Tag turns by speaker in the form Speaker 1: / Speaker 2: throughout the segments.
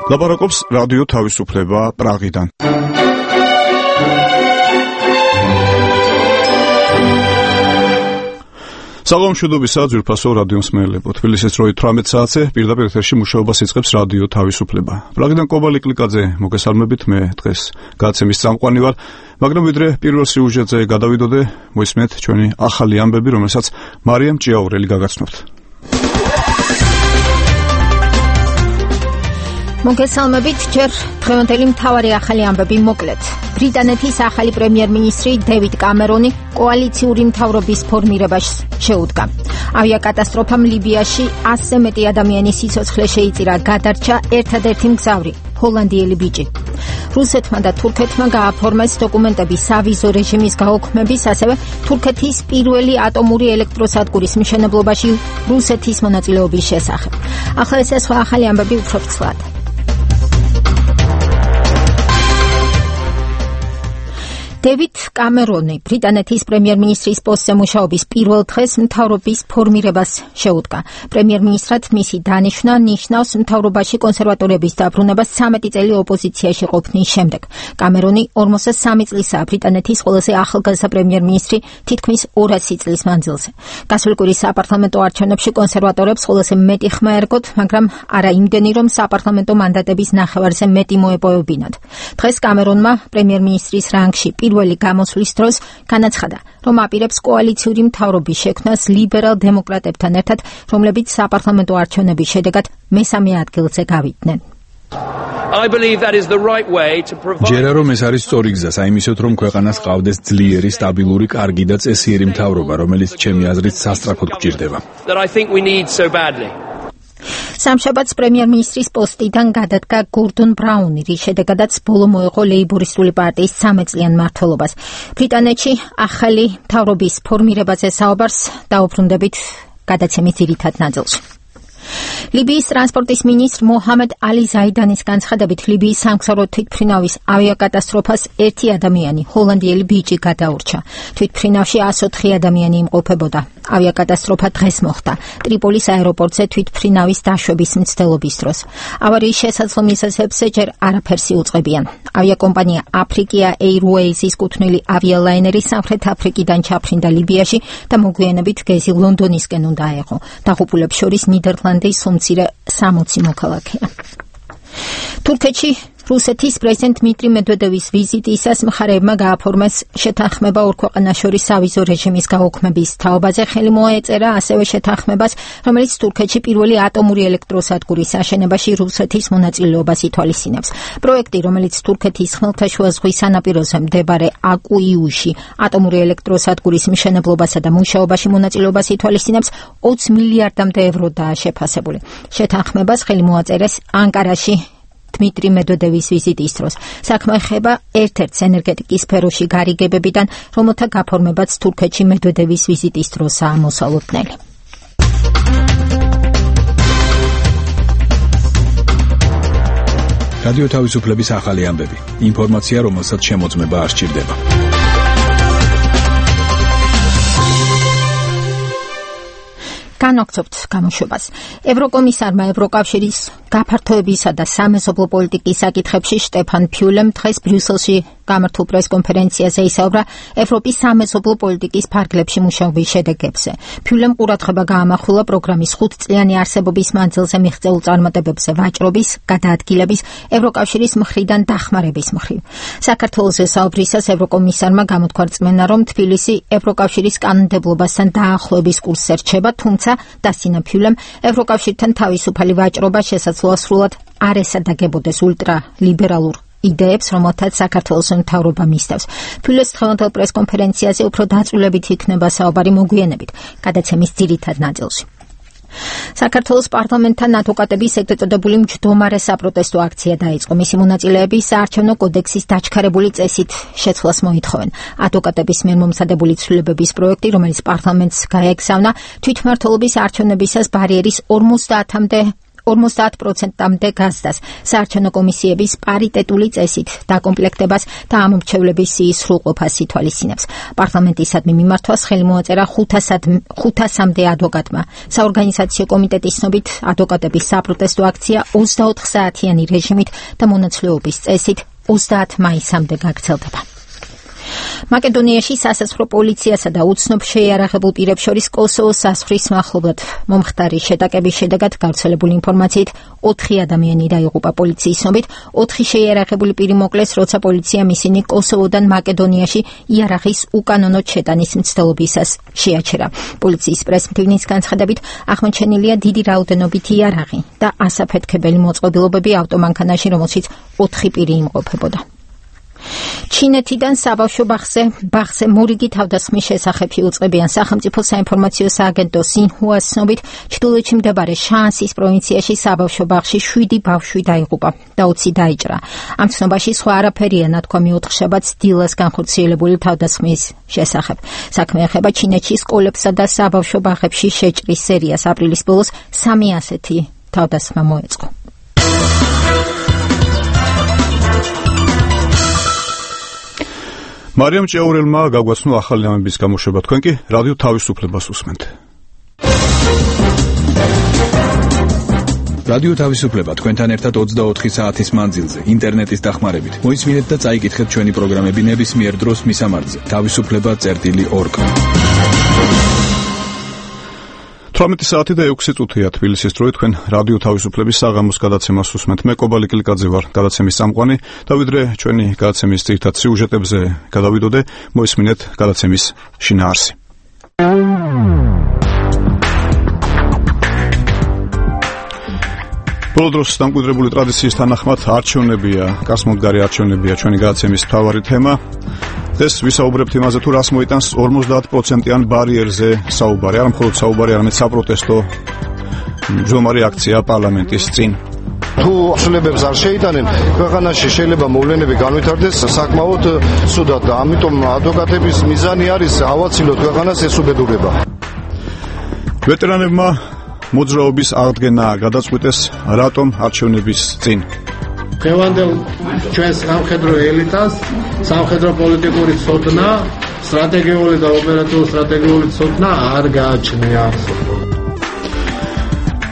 Speaker 1: ლაპარაკობს რადიო თავისუფლება პრაღიდან. საღამო მშვიდობისა ძვირფასო რადიო მსმენელებო. თბილისის 18 საათზე პირდაპირ ეთერში მუშაობას იწყებს რადიო თავისუფლება. პრაღიდან კობალი კლიკაძე მოგესალმებით, მე დღეს გადაცემის წამყვანი ვარ, მაგრამ ვიდრე პირველ სიუჟეტზე გადავიდოდე, მოისმენთ ჩვენი ახალი ამბები, რომელსაც მარიამ ჭიაურელი გაგაცნობთ.
Speaker 2: მოგესალმებით, ჯერ დღევანდელი მთავარი ახალი ამბები მოკლედ. ბრიტანეთის ახალი პრემიერ-მინისტრი დევიდ კამერონი კოალიციური მთავრობის ფორმირებას შეუდგა. ავიაკატასტროფამ ლიბიაში 100-ზე მეტი ადამიანის სიცოცხლე შეიწირა, გადარჩა ერთადერთი მგზავრი, ჰოლანდიელი ბიჭი. რუსეთმა და თურქეთმა გააფორმეს დოკუმენტები სავიზო რეჟიმის გაუქმების, ასევე თურქეთის პირველი ატომური ელექტროსადგურის მშენებლობაში რუსეთის მონაწილეობის შესახებ. ახლა ეს სხვა ახალი ამბები უფრო ფცლად. დევიდ კამერონი ბრიტანეთის პრემიერ-მინისტრის პოსტზე მუშაობის პირველ დღეს მთავრობის ფორმირებას შეუდგა. პრემიერ-მინისტრად მისი დანიშვნა ნიშნავს მთავრობაში კონსერვატორების დაბრუნებას 13 წელი ოპოზიციაში ყოფნის შემდეგ. კამერონი 43 წლისაა ბრიტანეთის ყველაზე ახალგაზრდა პრემიერ-მინისტრი თითქმის 200 წლის მანძილზე. გასული კვირის საპარლამენტო არჩევნებში კონსერვატორებს ყველაზე მეტი ხმა ერგოთ, მაგრამ არა იმდენი, რომ საპარლამენტო მანდატების ნახევარზე მეტი მოეპოვებინათ. დღეს კამერონმა პრემიერ-მინისტრის რანგში პირველი გამოსვლის დროს განაცხადა, რომ აპირებს კოალიციური მთავრობის შექმნას ლიბერალ დემოკრატებთან ერთად, რომლებიც საპარლამენტო არჩევნების შედეგად მესამე ადგილზე გავიდნენ.
Speaker 3: ჯერა რომ ეს არის სწორი გზა, საიმისოდ რომ ქვეყანას ყავდეს ძლიერი, სტაბილური, კარგი და წესიერი მთავრობა, რომელიც ჩემი აზრით სასწრაფოდ გჭირდება.
Speaker 2: სამშაბათს პრემიერ-მინისტრის პოსტიდან გადადგა გორდონ ბრაუნი, რის შედეგადაც ბოლო მოეყო ლეიბორისტული პარტიის 13 წლიან მმართველობას. ბრიტანეთში ახალი მთავრობის ფორმირებაზე საუბარს დაუბრუნდებით გადაცემის ძირითად ნაწილში. ლიბიის ტრანსპორტის მინისტრ მოჰამედ ალი ზაიდანის განცხადებით, ლიბიის სამგზავრო თვითმფრინავის ავიაკატასტროფას ერთი ადამიანი, ჰოლანდიელი ბიჭი გადაურჩა. თვითმფრინავში 104 ადამიანი იმყოფებოდა. ავიაკატასტროფა დღეს მოხდა ტრიპოლის აეროპორტზე თვითმფრინავის დაშვების მცდელობის დროს. ავარიის შესაძლო მიზეზებზე ჯერ არაფერს იუწყებიან. ავიაკომპანია Africa Airways-ის კუთვნილი ავიალაინერი სამხრეთ აფრიკიდან ჩაფრინდა ლიბიაში და მოგვიანებით გეზი ლონდონისკენ უნდა აეღო. დაღუპულებს შორის ნიდერლანდის უმცირე 60 მოქალაქეა. თურქეთში რუსეთის პრეზიდენტ დმიტრი მედვედევის ვიზიტისას მხარეებმა გააფორმეს შეთანხმება ორ ქვეყანას შორის სავიზო რეჟიმის გაუქმების თაობაზე. ხელი მოეწერა ასევე შეთანხმებას, რომელიც თურქეთში პირველი ატომური ელექტროსადგურის აშენებაში რუსეთის მონაწილეობას ითვალისწინებს. პროექტი, რომელიც თურქეთის ხმელთაშუა ზღვის სანაპიროზე მდებარე აკუიუში ატომური ელექტროსადგურის მშენებლობასა და მუშაობაში მონაწილეობას ითვალისწინებს, 20 მილიარდამდე ევროდაა შეფასებული. შეთანხმებას ხელი მოაწერეს ანკარაში დმიტრი მედვედევის ვიზიტის დროს. საქმე ეხება ერთ-ერთს ენერგეტიკის სფეროში გარიგებებიდან, რომელთა გაფორმებაც თურქეთში მედვედევის ვიზიტის დროსაა მოსალოდნელი.
Speaker 3: რადიო თავისუფლების ახალი ამბები. ინფორმაცია, რომელსაც შემოწმება არ სჭირდება.
Speaker 2: განვაგრძობთ გამოშვებას. ევროკომისარმა ევროკავშირის გაფართოებისა და სამეზობლო პოლიტიკის საკითხებში შტეფან ფიულემ დღეს ბრიუსელში გამართულ პრესკონფერენციაზე ისაუბრა ევროპის სამეზობლო პოლიტიკის ფარგლებში მუშაობის შედეგებზე. ფიულემ ყურადღება გაამახვილა პროგრამის 5 წლიანი არსებობის მანძილზე მიღწეულ წარმატებებზე ვაჭრობის, გადაადგილების, ევროკავშირის მხრიდან დახმარების მხრივ. საქართველოს საუბრისას ევროკომისარმა გამოთქვა რწმენა, რომ თბილისი ევროკავშირის კანონმდებლობასთან დაახლოების კურსზე რჩება, თუმცა დასცინა ფიულემ ევროკავშირთან თავისუფალი ვაჭრობა შესაძლოა სრულად არ ესადაგებოდეს ულტრალიბერალურ იდეებს, რომელთაც საქართველოს მთავრობა მისდევს. ფიულემს დღევანდელ პრესკონფერენციაზე უფრო დაწვრილებით იქნება საუბარი მოგვიანებით გადაცემის ძირითად ნაწილში. საქართველოს პარლამენტთან ადვოკატების ეგრეთ წოდებული მჯდომარე საპროტესტო აქცია დაიწყო. მისი მონაწილეები საარჩევნო კოდექსის დაჩქარებული წესით შეცვლას მოითხოვენ. ადვოკატების მიერ მომზადებული ცვლილებების პროექტი, რომელიც პარლამენტს გაეგზავნა, თვითმმართველობის არჩევნებისას ბარიერის 50-მდე 50%-მდე გაზდას საარჩევნო კომისიების პარიტეტული წესით დაკომპლექტებას და ამ მრჩევლების სიის სრულყოფას ითვალისწინებს. პარლამენტისადმი მიმართვას ხელი მოაწერა 500-მდე ადვოკატმა. საორგანიზაციო კომიტეტის ცნობით ადვოკატების საპროტესტო აქცია 24 საათიანი რეჟიმით და მონაცვლეობის წესით 30 მაისამდე გაგრძელდება. მაკედონიაში სასაცილო პოლიციასა და უცნობ შეიარაღებულ პირებს შორის კოსოვოს საზღვრის მახლობლად მომხდარი შეტაკების შედეგად გავრცელებული ინფორმაციით 4 ადამიანი დაიღუპა. პოლიციის ცნობით 4 შეიარაღებული პირი მოკლეს, როცა პოლიციამ ისინი კოსოვოდან მაკედონიაში იარაღის უკანონო შეტანის მცდელობისას შეაჩერა. პოლიციის პრესმტივნის განცხადებით აღმოჩენილია დიდი რაოდენობით იარაღი და ასაფეთქებელი მოწყობილობები ავტომანქანაში, რომელშიც 4 პირი იმყოფებოდა. ჩინეთიდან საბავშვო ბაღზე მორიგი თავდასხმის შესახებ იუწყებიან. სახელმწიფო საინფორმაციო სააგენტო სინჰუას ცნობით ჩრდილოეთში მდებარე შანსის პროვინციაში საბავშვო ბაღში 7 ბავშვი დაიღუპა და 20 დაიჭრა. ამ ცნობაში სხვა არაფერია ნათქვამი 4 შაბათს დილას განხორციელებული თავდასხმის შესახებ. საქმე ეხება ჩინეთში სკოლებსა და საბავშვო ბაღებში შეჭრის სერიას. აპრილის ბოლოს 3 ასეთი თავდასხმა მოეწყო.
Speaker 1: მარიამ ჭეურელმა გაგვაცნო ახალი ამების გამოშვება. თქვენ კი რადიო თავისუფლებას უსმენთ.
Speaker 3: რადიო თავისუფლება თქვენთან ერთად 24 საათის მანძილზე ინტერნეტის დახმარებით. მოისმინეთ და წაიკითხეთ ჩვენი პროგრამები ნებისმიერ დროს მისამართზე. თავისუფლება.org.
Speaker 1: 18 საათი და 6 წუთია თბილისის დროით. თქვენ რადიო თავისუფლების საღამოს გადაცემას უსმენთ. მე კობალი კილიკაძე ვარ, გადაცემის წამყვანი და ვიდრე ჩვენი გადაცემის ძირითად სიუჟეტებზე გადავიდოდე, მოისმინეთ გადაცემის შინაარსი. ბოლო დროს დამკვიდრებული ტრადიციის თანახმად არჩევნებია, გასმოდგარი არჩევნებია ჩვენი გადაცემის მთავარი თემა. ეს ვისაუბრებთ იმაზე, თუ რას მოიტანს 50%-იან ბარიერზე საუბარი, არა მხოლოდ საუბარი, არამედ საპროტესტო მძღვარი აქცია პარლამენტის წინ.
Speaker 4: თუ ცვლილებებს არ შეიტანენ, ქვეყანაში შეიძლება მოვლენები განვითარდეს საკმაოდ ცუდად და ამიტომ ადვოკატების მიზანი არის ავაცილოთ ქვეყანას ეს უბედურება.
Speaker 1: ვეტერანებმა მოძრაობის აღდგენა გადაწყვიტეს რატომ არჩევნების წინ.
Speaker 5: დღევანდელ ჩვენს სამხედრო ელიტას სამხედრო პოლიტიკური ცოდნა, სტრატეგიული და ოპერატიული სტრატეგიული ცოდნა არ გააჩნია.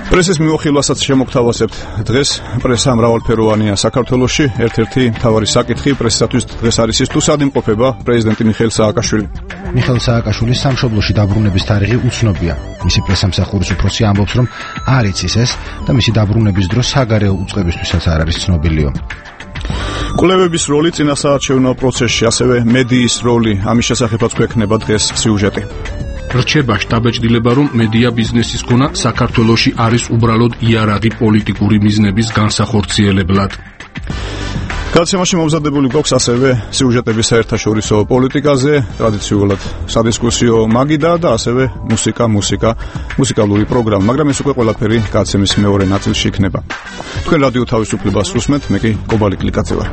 Speaker 1: პრესის მიმოხილვასაც შემოგთავაზებთ. დღეს პრესა მრავალფეროვანია საქართველოში. ერთ-ერთი მთავარი საკითხი პრესისათვის დღეს არის ის, თუ სად იმყოფება პრეზიდენტი მიხეილ სააკაშვილი.
Speaker 6: მიხეილ სააკაშვილის სამშობლოში დაბრუნების თარიღი უცნობია. მისი პრესამსახურის უფროსი ამბობს, რომ არ იცის ეს და მისი დაბრუნების დრო საგარეო უწყებისთვისაც არ არის ცნობილიო.
Speaker 1: კვლევების როლი წინასაარჩევნო პროცესში, ასევე მედიის როლი, ამის შესახებაც გვექნება დღეს სიუჟეტი.
Speaker 7: რჩება შტაბეჭდილება, რომ მედია ბიზნესის გონა საქართველოში არის უბრალოდ იარაღი პოლიტიკური მიზნების განსახორციელებლად.
Speaker 1: გადაცემაში მომზადებული გვაქვს ასევე სიუჟეტები საერთაშორისო პოლიტიკაზე, ტრადიციულად სადისკუსიო მაგიდა და ასევე მუსიკალური პროგრამა, მაგრამ ეს უკვე ყველაფერი გადაცემის მეორე ნაწილში იქნება. თქვენ რადიო თავისუფლებას უსმენთ, მე კი კობალი კილიკაძე ვარ.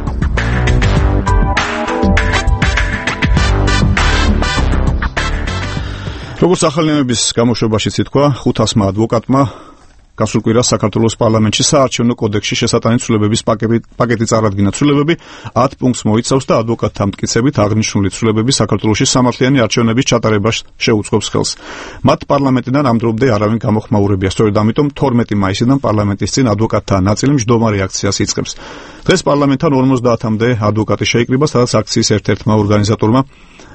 Speaker 1: როგორც ახალინების გამოშვებაშიც ითქვა, 500-მა ადვოკატმა გასულ კვირას საქართველოს პარლამენტში საარჩევნო კოდექსში შესატანი ცვლილებების პაკეტი წარადგინა. ცვლილებები 10 პუნქტს მოიცავს და ადვოკატთა მტკიცებით აღნიშნული ცვლილებები საქართველოში სამართლიანი არჩევნების ჩატარებას შეუწყობს ხელს. მათ პარლამენტიდან ამ დრომდე არავინ გამოხმაურებია. სწორედ ამიტომ 12 მაისიდან პარლამენტის წინ ადვოკატთა ნაწილი მჯდომარე აქციას იწყებს. დღეს პარლამენტთან 50-მდე ადვოკატი შეიკრიბა, სადაც აქციის ერთ-ერთმა ორგანიზატორმა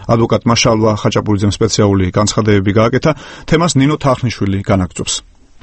Speaker 1: ადვოკატმა შალვა ხაჭაპურიძემ სპეციალური განცხადებები გააკეთა. თემას ნინო თახნიშვილი განაგრძობს.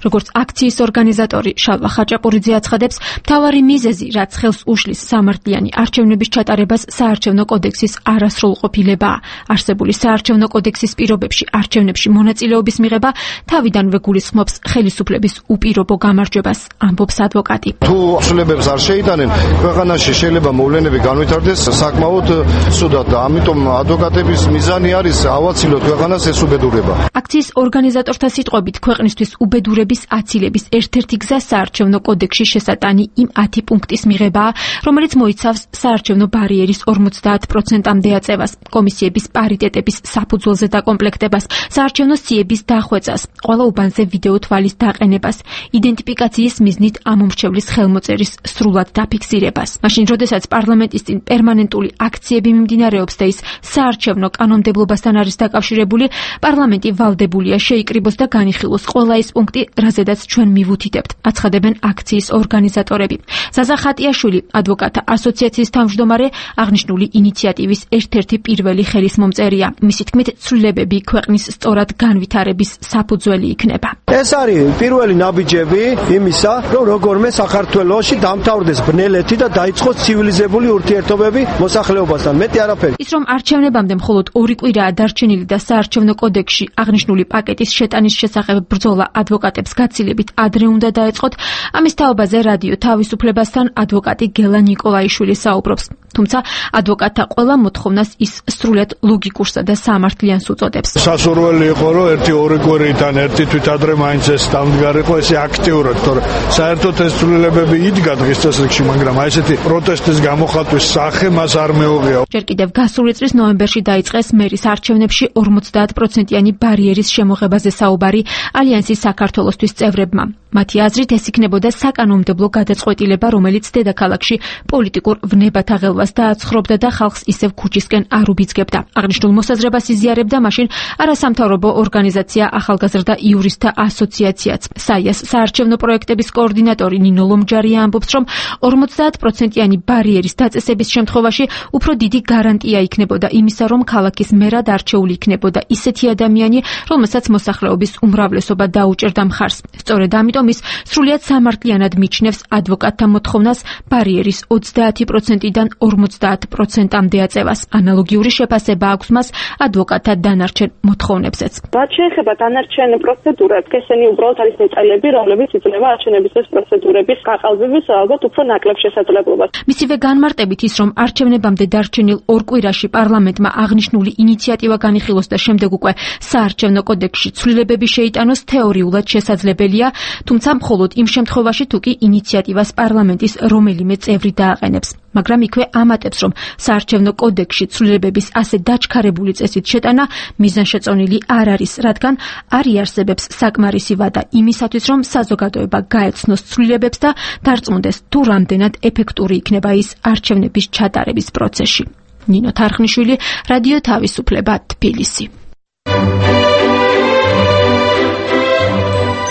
Speaker 8: როგორც აქციის ორგანიზატორი შალვა ხაჭაპურიძე აცხადებს, მთავარი მიზეზი, რაც ხელს უშლის სამართლიანი არჩევნების ჩატარებას, საარჩევნო კოდექსის არასრულყოფილებაა. არსებული საარჩევნო კოდექსის პირობებში არჩევნებში მონაწილეობის მიღება თავიდანვე გულისხმობს ხელისუფლების უპირობო გამარჯვებას, ამბობს ადვოკატი.
Speaker 4: თუ ცვლილებებს არ შეიტანენ, ქვეყანაში შეიძლება მოვლენები განვითარდეს საკმაოდ ცუდად და ამიტომ ადვოკატების მიზანი არის ავაცილოთ ქვეყანას ეს უბედურება.
Speaker 8: აქციის ორგანიზატორთა სიტყვებით, ქვეყნისთვის უბედურება ცვლილებების აცილების ერთ-ერთი გზა საარჩევნო კოდექსში შესატანი იმ 10 პუნქტის მიღებაა, რომელიც მოიცავს საარჩევნო ბარიერის 50%-მდე აწევას, კომისიების პარიტეტების საფუძველზე დაკომპლექტებას, საარჩევნო სიების დახვეწას, ყველა უბანზე ვიდეო თვალის დაყენებას, იდენტიფიკაციის მიზნით ამომრჩევლის ხელმოწერის სრულად დაფიქსირებას. მაშინ, როდესაც პარლამენტის წინ პერმანენტული აქციები მიმდინარეობს და ის საარჩევნო კანონმდებლობასთან არის დაკავშირებული, პარლამენტი ვალდებულია შეიკრიბოს და განიხილოს ყველა ის პუნქტი, რაზედაც ჩვენ მივუთითებთ, აცხადებენ აქციის ორგანიზატორები. ზაზა ხატიაშვილი, ადვოკატთა ასოციაციის თავმჯდომარე, აღნიშნული ინიციატივის ერთ-ერთი პირველი ხელისმომწერია. მისი თქმით, ცვლილებები ქვეყნის სწორად განვითარების საფუძველი იქნება.
Speaker 9: ეს არის პირველი ნაბიჯები იმისა, რომ როგორმე საქართველოში დამთავრდეს ბნელეთი და დაიწყოს ცივილიზებული ურთიერთობები მოსახლეობასთან. მეტი არაფერი.
Speaker 8: ის რომ არჩევნებამდე მხოლოდ 2 კვირაა დარჩენილი და საარჩევნო კოდექსში აღნიშნული პაკეტის შეტანის შესახებ ბრძოლა ადვოკატებს გაცილებით ადრე უნდა დაეწყოთ, ამის თაობაზე რადიო თავისუფლებასთან ადვოკატი გელა ნიკოლაიშვილი საუბრობს. თუმცა ადვოკატთა ყველა მოთხოვნას ის სრულად ლოგიკურსა და სამართლიანს უწოდებს.
Speaker 4: სასურველი იყო, რომ 1-2 კვირიდან ერთი თვით ადრე მაინც ეს დამდგარიყო, ესე აქტიურად, თორე საერთოდ ეს ცვლილებები იდგა დღის წესრიგში, მაგრამ აი ესეთი პროტესტის გამოხატვის სახე მას არ მეუღია.
Speaker 8: ჯერ კიდევ გასული წლის ნოემბერში დაიწყეს მერის არჩევნებში 50%-იანი ბარიერის შემოღებაზე საუბარი ალიანსის საქართველოსთვის წევრებმა. მათი აზრით ეს იქნებოდა საკანონმდებლო გადაწყვეტილება, რომელიც დედაქალაქში პოლიტიკურ ვნებათა ღელვას დააცხრობდა და ხალხს ისევ ქუჩისკენ არ უბიძგებდა. აღნიშნულ მოსაზრებას იზიარებდა მაშინ არასამთავრობო ორგანიზაცია ახალგაზრდა იურისტთა ასოციაციაც. საიას საარჩევნო პროექტების კოორდინატორი ნინო ლომჯარია ამბობს, რომ 50%-იანი ბარიერის დაწესების შემთხვევაში უფრო დიდი გარანტია იქნებოდა იმისა, რომ ქალაქის მერად არჩეული იქნებოდა ისეთი ადამიანი, რომელსაც მოსახლეობის უმრავლესობა დაუჭერდა მხარს. სწორედ ამიტომ ის სრულიად სამართლიანად მიჩნევს ადვოკატთა მოთხოვნას ბარიერის 30%-დან 50%-მდე აწევას. ანალოგიური შეფასება აქვს მას ადვოკატთა დანარჩენ მოთხოვნებზეც.
Speaker 10: რაც შეეხება დანარჩენ პროცედურებს, ესენი უბრალოდ არის ნაწილები, რომლებიც იძლევა არჩევნების ეს პროცედურების გაყალბების ალბათ უფრო ნაკლებ შესაძლებლობას.
Speaker 8: მისივე განმარტებით ის, რომ არჩევნებამდე დარჩენილ 2 კვირაში პარლამენტმა აღნიშნული ინიციატივა განიხილოს და შემდეგ უკვე საარჩევნო კოდექსში ცვლილებები შეიტანოს, თეორიულად შესაძლებელია, თუმცა მხოლოდ იმ შემთხვევაში, თუ კი ინიციატივას პარლამენტის რომელიმე წევრი დააყენებს. მაგრამ იქვე ამატებს, რომ საარჩევნო კოდექსში ცვლილებების ასე დაჩქარებული წესით შეტანა მიზანშეწონილი არ არის, რადგან არ იარსებებს საკმარისი ვადა იმისათვის, რომ საზოგადოება გაეცნოს ცვლილებებს და დარწმუნდეს, თუ რამდენად ეფექტური იქნება ის არჩევნების ჩატარების პროცესში. ნინო თარხნიშვილი, რადიო თავისუფლება, თბილისი.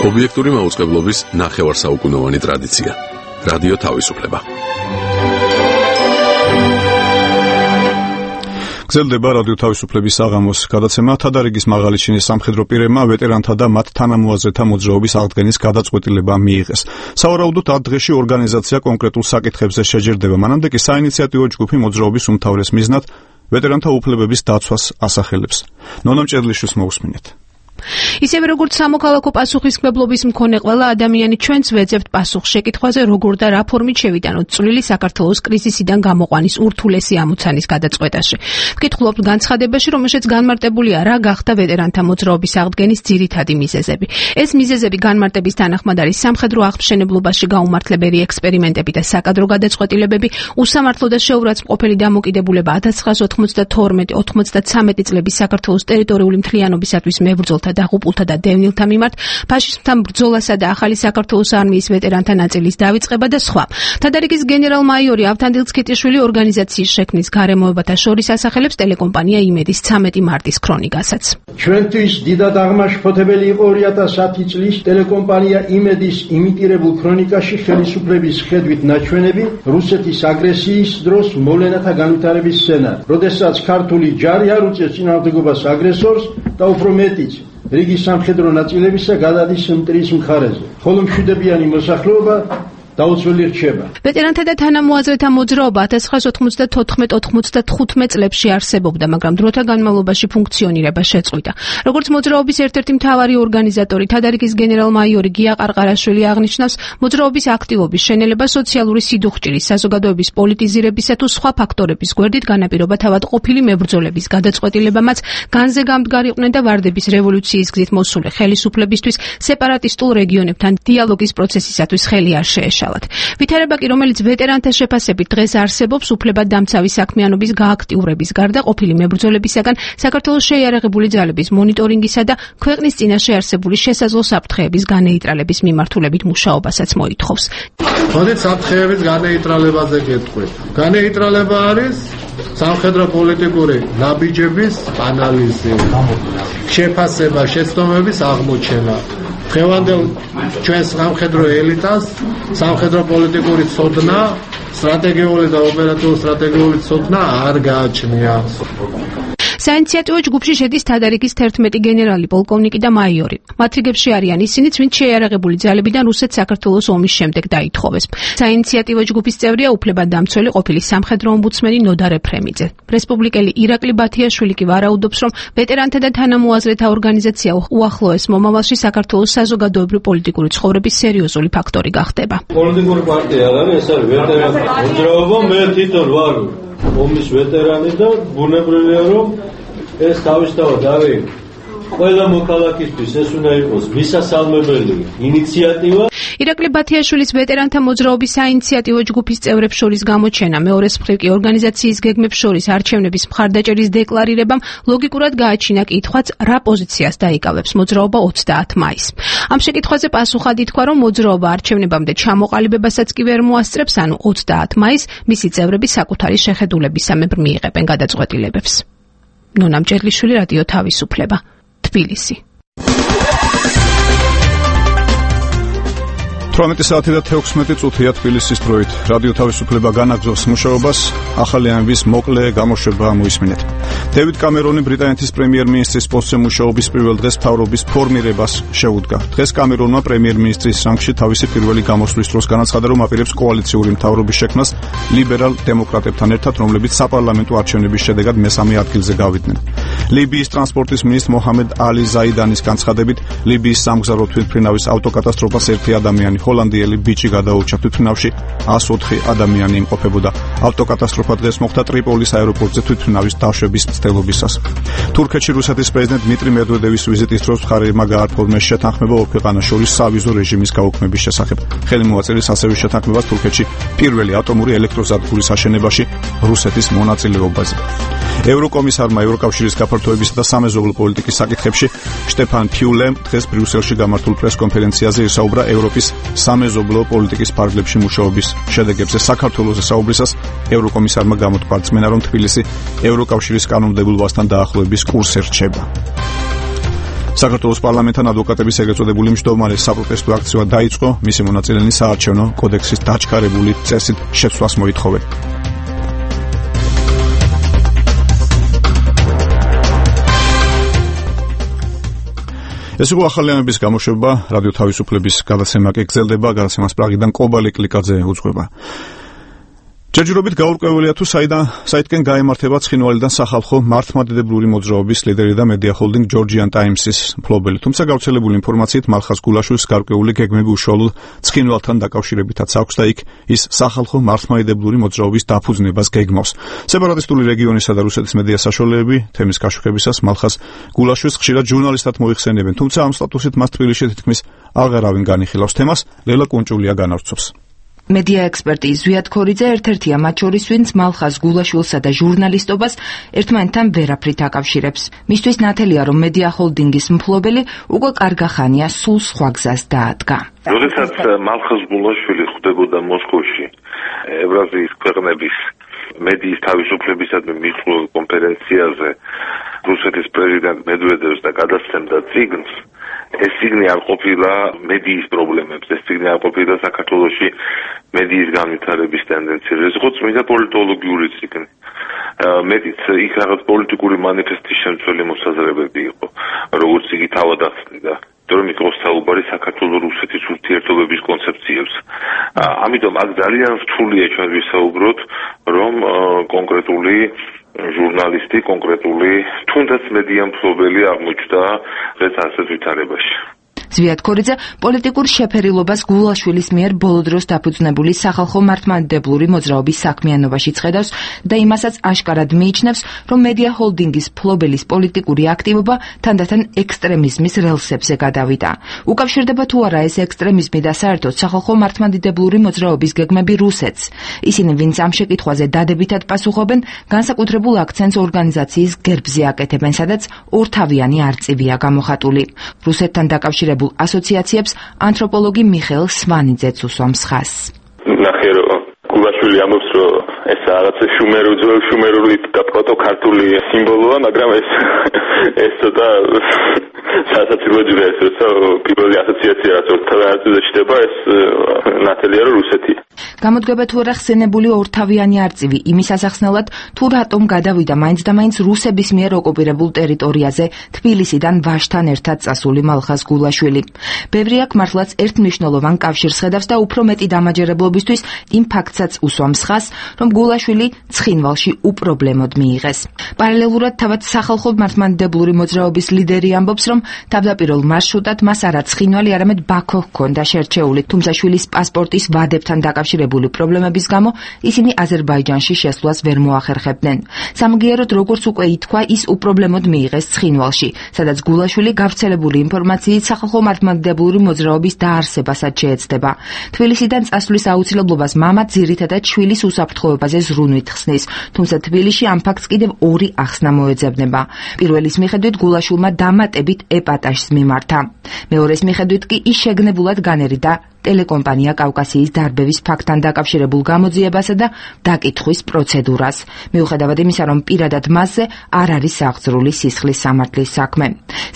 Speaker 11: ობიექტური მაუწყებლობის ნახევარსაუკუნოვანი ტრადიცია. რადიო თავისუფლება.
Speaker 1: გრძელდება რადიო თავისუფლების საღამოს გადაცემა. თადარიგის მაღალი ჩინის სამხედრო პირებმა ვეტერანთა და მათ თანამოაზრეთა მოძრაობის აღდგენის გადაწყვეტილება მიიღეს. სავარაუდოდ 10 დღეში ორგანიზაცია კონკრეტულ საკითხებზე შეჯერდება. მანამდე კი საინიციატივო ჯგუფი მოძრაობის უმთავრეს მიზნად ვეტერანთა უფლებების დაცვას ასახელებს. ნონა მჭედლიშვილს მოусმინეთ.
Speaker 12: ისევე როგორც სამოქალაქო პასუხისმგებლობის მქონე ყველა ადამიანი ჩვენც ვეძებთ პასუხს შეკითხვაზე, როგორ და რა ფორმით შევიტანოთ წვლილი საქართველოს კრიზისიდან გამოყვანის ურთულესი ამოცანის გადაწყვეტაში. ვკითხულობთ განცხადებაში, რომელშიც განმარტებულია რა გახდა ვეტერანთა მოძრაობის აღდგენის ძირითადი მიზეზები. ეს მიზეზები განმარტების თანახმად არის სამხედრო აღმშენებლობაში გაუმართლებელი ექსპერიმენტები და საკადრო გადაწყვეტილებები, უსამართლო და შეურაცხმყოფელი დამოკიდებულება 1992-93 წლების საქართველოს ტერიტორიული მთლიანობისათვის მებრძოლთა დაღუპულთა და დევნილთა მიმართ, ფაშისტთან ბრძოლასა და ახალი საქართველოს არმიის ვეტერანთა ნაწილის დავიწყება და სხვა. თადარიგის გენერალ-მაიორი ავთანდილ ცქიტიშვილი ორგანიზაციის შექმნის გარემოებათა შორის ასახელებს ტელეკომპანია იმედის 13 მარტის ქრონიკასაც.
Speaker 13: ჩვენთვის დიდად აღმაშფოთებელი იყო 2010 წლის ტელეკომპანია იმედის იმიტირებულ ქრონიკაში ხელისუფლების ხედვით ნაჩვენები რუსეთის აგრესიის დროს მოვლენათა განვითარების სცენარი, როდესაც ქართული ჯარი არ უწევს წინააღმდეგობას აგრესორს და უფრო მეტიც რიგი სამხედრო ნაწილებისა გადადის მტრის მხარეზე. ხოლო მშვიდებიანი მოსახლეობა დაუცველი რჩება.
Speaker 12: ვეტერანთა და თანამოაზრეთა მოძრაობა 1994-95 წლებში არსებობდა, მაგრამ დროთა განმავლობაში ფუნქციონირება შეწყვიტა. როგორც მოძრაობის ერთ-ერთი მთავარი ორგანიზატორი, თადარიგის გენერალ-მაიორი გია ყარყარაშვილი აღნიშნავს, მოძრაობის აქტივობის შენელება სოციალური სიდუხჭირის, საზოგადოების პოლიტიზირებისა თუ სხვა ფაქტორების გვერდით განაპირობა თავად ყოფილი მებრძოლების გადაწყვეტილებამაც განზე გამდგარიყვნენ და ვარდების რევოლუციის გზით მოსული ხელისუფლებისთვის სეპარატისტულ რეგიონებთან დიალოგის პროცესისათვის ხელი არ შეეშალათ. ვითარება კი, რომელიც ვეტერანთა შეფასებით დღეს არსებობს, უფლებადდამცავი საქმიანობის გააქტიურების გარდა ყოფილი მებრძოლებისაგან საქართველოს შეიარაღებული ძალების მონიტორინგისა და ქვეყნის წინაშე არსებული შესაძლო საფრთხეების განეიტრალების მიმართულებით მუშაობასაც მოითხოვს.
Speaker 5: მოდით საფრთხეების განეიტრალებაზე გეტყვით. განეიტრალება არის სამხედრო პოლიტიკური ნაბიჯების ანალიზი, შეფასება, შეცდომების აღმოჩენა. დღევანდელ ჩვენს სამხედრო ელიტას სამხედრო პოლიტიკური ცოდნა, სტრატეგიული და ოპერატიული სტრატეგიული ცოდნა არ გააჩნია.
Speaker 12: საინიციატივო ჯგუფში შედის თადარიგის 11 გენერალი, პოლკოვნიკი და მაიორი. მათ რიგებში არიან ისინიც, ვინც შეიარაღებული ძალებიდან რუსეთ-საქართველოს ომის შემდეგ დაითხოვეს. საინიციატივო ჯგუფის წევრია უფლებადდამცველი ყოფილი სამხედრო ომბუდსმენი ნოდარ ეფრემიძე. რესპუბლიკელი ირაკლი ბათიაშვილი კი ვარაუდობს, რომ ვეტერანთა და თანამოაზრეთა ორგანიზაცია უახლოეს მომავალში საქართველოს საზოგადოებრივი პოლიტიკური ცხოვრების სერიოზული ფაქტორი გახდება.
Speaker 14: პოლიტიკური პარტია არ არის, ეს არის ვეტერანთა მოძრაობა, მე თვითონ ვარ ომის ვეტერანი და ბუნებრივია, რომ ეს თავისთავად არის ყველა მოქალაქისთვის ეს უნდა იყოს მისასალმებელი ინიციატივა.
Speaker 12: ირაკლი ბათიაშვილის ვეტერანთა მოძრაობის საინიციატივო ჯგუფის წევრებს შორის გამოჩენა, მეორეს მხრივ კი ორგანიზაციის გეგმებს შორის არჩევნების მხარდაჭერის დეკლარირებამ ლოგიკურად გააჩინა კითხვაც, რა პოზიციას დაიკავებს მოძრაობა 30 მაისს. ამ შეკითხვაზე პასუხად ითქვა, რომ მოძრაობა არჩევნებამდე ჩამოყალიბებასაც კი ვერ მოასწრებს, ანუ 30 მაისს მისი წევრები საკუთარი შეხედულებისამებრ მიიღებენ გადაწყვეტილებებს. ნონა მჭედლიშვილი, რადიო თავისუფლება, თბილისი.
Speaker 1: 18 საათი და 16 წუთია თბილისის დროით. რადიო თავისუფლება განაგრძობს მუშაობას, ახალი ამბის მოკლე გამოშვება მოისმინეთ. დევიდ კამერონი ბრიტანეთის პრემიერ-მინისტრის პოსტზე მუშაობის პირველ დღეს მთავრობის ფორმირებას შეუდგა. დღეს კამერონმა პრემიერ-მინისტრის რანგში თავისი პირველი გამოსვლის დროს განაცხადა, რომ აპირებს კოალიციური მთავრობის შექმნას ლიბერალ დემოკრატებთან ერთად, რომლებიც საპარლამენტო არჩევნების შედეგად მესამე ადგილზე გავიდნენ. ლიბიის ტრანსპორტის მინისტრ მოჰამედ ალი ზაიდანის განცხადებით, ლიბიის სამგზავრო თვითმფრინავის ავტოკატასტროფას ერთი ადამიანი ჰოლანდიელი ბიჭი გადაურჩა თვითმფრინავში, 104 ადამიანი იმყოფებოდა. ავტოკატასტროფა დღეს მოხდა ტრიპოლის აეროპორტზე თვითმფრინავის დაშვების მცდელობისას. თურქეთში რუსეთის პრეზიდენტ დმიტრი მედვედევის ვიზიტის დროს მხარეებმა გააფორმეს შეთანხმება ორ ქვეყანას შორის სავიზო რეჟიმის გაუქმების შესახებ. ხელი მოაწერეს ასევე შეთანხმებას თურქეთში პირველი ატომური ელექტროსადგურის აშენებაში რუსეთის მონაწილეობაზე. ევროკომისარმა ევროკავშირის გაფართოებისა და სამეზობლო პოლიტიკის საკითხებში შტეფან ფიულემ დღეს ბრიუსელში გამართულ პრესკონფერენციაზე ისაუბრა ევროპის სამეზობლო პოლიტიკის ფარგლებში მუშაობის შედეგებზე. საქართველოს საუბრისას ევროკომისარმა გამოთქვა რწმენა, რომ თბილისი ევროკავშირის კანონმდებლობასთან დაახლოების კურსზე რჩება. საქართველოს პარლამენტთან ადვოკატების ეგრეთ წოდებული მჯდომარე საპროტესტო აქცია დაიწყო, მისი მონაწილენი საარჩევნო კოდექსის დაჩქარებული წესით შეცვლას მოითხოვენ. ეს იყო ახალი ამბის გამოშვება, რადიო თავისუფლების გადაცემა კი გრძელდება, გადაცემას პრაღიდან კობალი კლიკაძე უძღვება. ჯერჯერობით გაურკვეველია თუ საიდკენ გაემართება ცხინვალიდან სახალხო მართლმადიდებლური მოძრაობის ლიდერი და მედია ჰოლდინგ ჯორჯიან ტაიმსის მფლობელი. თუმცა გავრცელებული ინფორმაციით მალხაზ გულაშვილს გარკვეული გეგმები უშუალოდ ცხინვალთან დაკავშირებითაც აქვს და იქ ის სახალხო მართლმადიდებლური მოძრაობის დაფუძნებას გეგმავს. სეპარატისტული რეგიონისა და რუსეთის მედია საშუალებები თემის კაშუქებისას მალხაზ გულაშვილს ხშირად ჟურნალისტად მოიხსენებენ, თუმცა ამ სტატუსით მას თბილისში თითქმის აღარავინ განიხილავს თემას. ლელა კუნჭულია განავრცობს.
Speaker 15: მედია ექსპერტი ზვიად ქორიძე ერთ-ერთია მათ შორის, ვინც მალხაზ გულაშვილსა და ჟურნალისტობას ერთმანეთთან ვერაფრით აკავშირებს. მისთვის ნათელია, რომ მედია ჰოლდინგის მფლობელი უკვე კარგა ხანია სულ სხვა გზას დაადგა.
Speaker 16: როდესაც მალხაზ გულაშვილი ხვდებოდა მოსკოვში ევრაზიის ქვეყნების მედიის თავისუფლებისადმი მიღწეულ კონფერენციაზე რუსეთის პრეზიდენტ მედვედევს და გადასცემდა წიგნს, ეს წიგნი არ ყოფილა მედიის პრობლემებს, ეს წიგნი არ ყოფილა საქართველოში მედიის განვითარების ტენდენციებს, ეს იყო წმინდა პოლიტოლოგიური წიგნი. მეტიც იქ რაღაც პოლიტიკური მანიფესტის შემცველი მოსაზრებები იყო, როგორც იგი თავად ახსნიდა. რომ იყო საუბარი საქართველოს-რუსეთის ურთიერთობების კონცეფციებს. ამიტომ აქ ძალიან რთულია ჩვენ ვისაუბროთ, რომ კონკრეტული ჟურნალისტი, კონკრეტული თუნდაც მედია მფლობელი აღმოჩნდა დღეს ასეთ ვითარებაში.
Speaker 15: ზვიად ქორიძე პოლიტიკურ შეფერილობას გულაშვილის მიერ ბოლო დროს დაფუძნებული სახალხო მართლმადიდებლური მოძრაობის საქმიანობაში ხედავს და იმასაც აშკარად მიიჩნევს, რომ მედია ჰოლდინგის მფლობელის პოლიტიკური აქტივობა თანდათან ექსტრემიზმის რელსებზე გადავიდა. უკავშირდება თუ არა ეს ექსტრემიზმი და საერთოდ სახალხო მართლმადიდებლური მოძრაობის გეგმები რუსეთს. ისინი, ვინც ამ შეკითხვაზე დადებითად პასუხობენ, განსაკუთრებულ აქცენტს ორგანიზაციის გერბზე აკეთებენ, სადაც ორთავიანი არწივია გამოხატული. რუსეთთან დაკავშირებულ ასოციაციებს ანთროპოლოგი მიხეილ სვანიძეც უსვამს ხაზს.
Speaker 17: ნახე რომ გულაშვილი ამბობს, რომ ეს რაღაცა შუმერული და პროტოკართული სიმბოლოა, მაგრამ ეს ცოტა სასაცილო ჯერა ეს პირველი ასოციაცია რაც ორთავიანზე ჩდება, ეს ნათელია რომ რუსეთია.
Speaker 15: გამოდგება თუ არა ხსენებული ორთავიანი არწივი იმის ასახსნელად, თუ რატომ გადავიდა მაინც და მაინც რუსების მიერ ოკუპირებულ ტერიტორიაზე თბილისიდან ვაჟთან ერთად წასული მალხაზ გულაშვილი. ბევრი აქ მართლაც ერთმნიშვნელოვან კავშირს ხედავს და უფრო მეტი დამაჯერებლობისთვის იმ ფაქტსაც უსვამს ხაზს, რომ გულაშვილი ცხინვალში უპრობლემოდ მიიღეს. პარალელურად თავად სახალხო მართლმადიდებლური მოძრაობის ლიდერი ამბობს, რომ თავდაპირველ მარშრუტად მას არა ცხინვალი, არამედ ბაქო ჰქონდა შერჩეული, თუმცა შვილის პასპორტის ვადებთან დაკავშირებული პრობლემების გამო ისინი აზერბაიჯანში შესვლას ვერ მოახერხებდნენ. სამგიეროდ, როგორც უკვე ითქვა, ის უპრობლემოდ მიიღეს ცხინვალში, სადაც გულაშვილი გავრცელებული ინფორმაციით სახალხო მართლმადიდებლური მოძრაობის დაარსებასაც შეეცდება. თბილისიდან წასვლის აუცილებლობას მამა ძირითადად შვილის უსაფრთხოებაზე ზრუნვით ხსნის, თუმცა თბილისში ამ ფაქტს კიდევ ორი ახსნა მოეძებნება. პირველის მიხედვით გულაშვილმა დამატებით ეპატაჟს მიმართა. მეორეს მიხედვით კი ის შეგნებულად განერიდა ტელეკომპანია კავკასიის დარბევის ფაქტთან დაკავშირებულ გამოძიებასა და დაკითხვის პროცედურას. მიუხედავად იმისა, რომ პირადად მასზე არ არის აღძრული სისხლის სამართლის საქმე.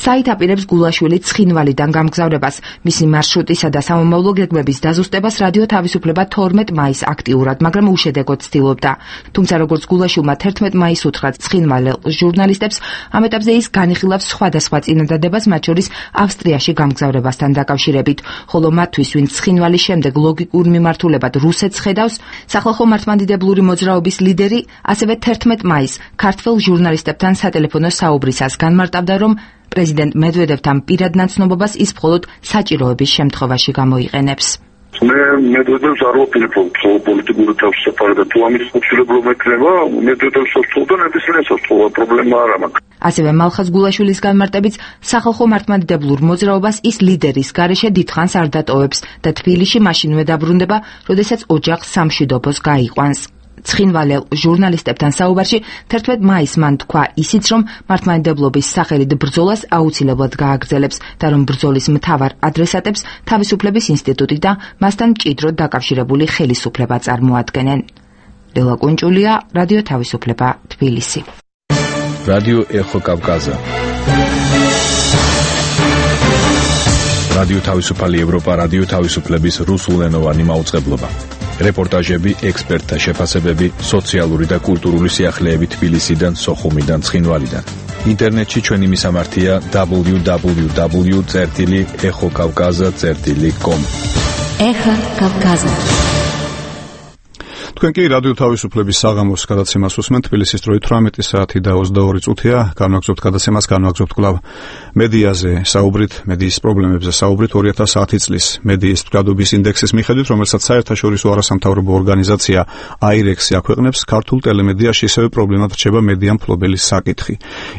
Speaker 15: საით აპირებს გულაშვილი ცხინვალიდან გამგზავრებას, მისი მარშრუტისა და სამომავლო გეგმების დაზუსტებას რადიო თავისუფლება 12 მაისს აქტიურად, მაგრამ უშედეგოდ ცდილობდა. თუმცა როგორც გულაშვილმა 11 მაისს უთხრა ცხინვალელ ჟურნალისტებს, ამ ეტაპზე ის განიხილავს სხვადასხვა წინადადებას, მათ შორის ავსტრიაში გამგზავრებასთან დაკავშირებით, ხოლო მათთვის, ვინც ცხინვალის შემდეგ ლოგიკურ მიმართულებად რუსეთს ხედავს, სახალხო მართლმადიდებლური მოძრაობის ლიდერი ასევე 11 მაისს ქართველ ჟურნალისტებთან სატელეფონო საუბრისას განმარტავდა, რომ პრეზიდენტ მედვედევთან პირად ნაცნობობას ის მხოლოდ საჭიროების შემთხვევაში გამოიყენებს.
Speaker 18: მე მედვედევს არ ვაპირებ პოლიტიკური თავისუფლება და თუ ამის ხუთშვილობლობა ექნება, მედვედევს სოწყობდა ნებისმიერ სოწყობა პრობლემა არ აქვს.
Speaker 15: ასევე მალხაზ გულაშვილის განმარტებით, სახალხო მართლმადიდებლურ მოძრაობას ის ლიდერის გარეშე დიდხანს არ დატოვებს და თბილისში მაშინვე დაბრუნდება, როდესაც ოჯახს სამშვიდობოს გაიყვანს. ცხინვალელ ჟურნალისტებთან საუბარში 11 მაისს მან თქვა ისიც, რომ მართლმადიდებლობის სახელით ბრძოლას აუცილებლად გააგრძელებს და რომ ბრძოლის მთავარ ადრესატებს თავისუფლების ინსტიტუტი და მასთან მჭიდროდ დაკავშირებული ხელისუფლება წარმოადგენენ. ლელა კუნჭულია, რადიო თავისუფლება, თბილისი.
Speaker 3: რადიო ეხო კავკაზა. რადიო თავისუფალი ევროპა, რადიო თავისუფლების რუსულენოვანი მაუწყებლობა. რეპორტაჟები, ექსპერტთა შეფასებები, სოციალური და კულტურული სიახლეები თბილისიდან, სოხუმიდან, ცხინვალიდან. ინტერნეტში ჩვენი მისამართია www.exokavkaza.com.
Speaker 2: ეხა კავკაზა.
Speaker 1: თქვენ კი რადიო თავისუფლების საღამოს გადაცემას უსმენთ. თბილისის დროით 18 საათი და 22 წუთია. განვაგრძობთ გადაცემას, განვაგრძობთ კვლავ მედიაზე საუბრით, მედიის პრობლემებზე საუბრით 2010 წლის მედიის მდგრადობის ინდექსის მიხედვით, რომელსაც საერთაშორისო არასამთავრობო ორგანიზაცია AIREX-ი აქვეყნებს, ქართულ ტელემედიაში ისევე პრობლემად რჩება მედია მფლობელის საკითხი.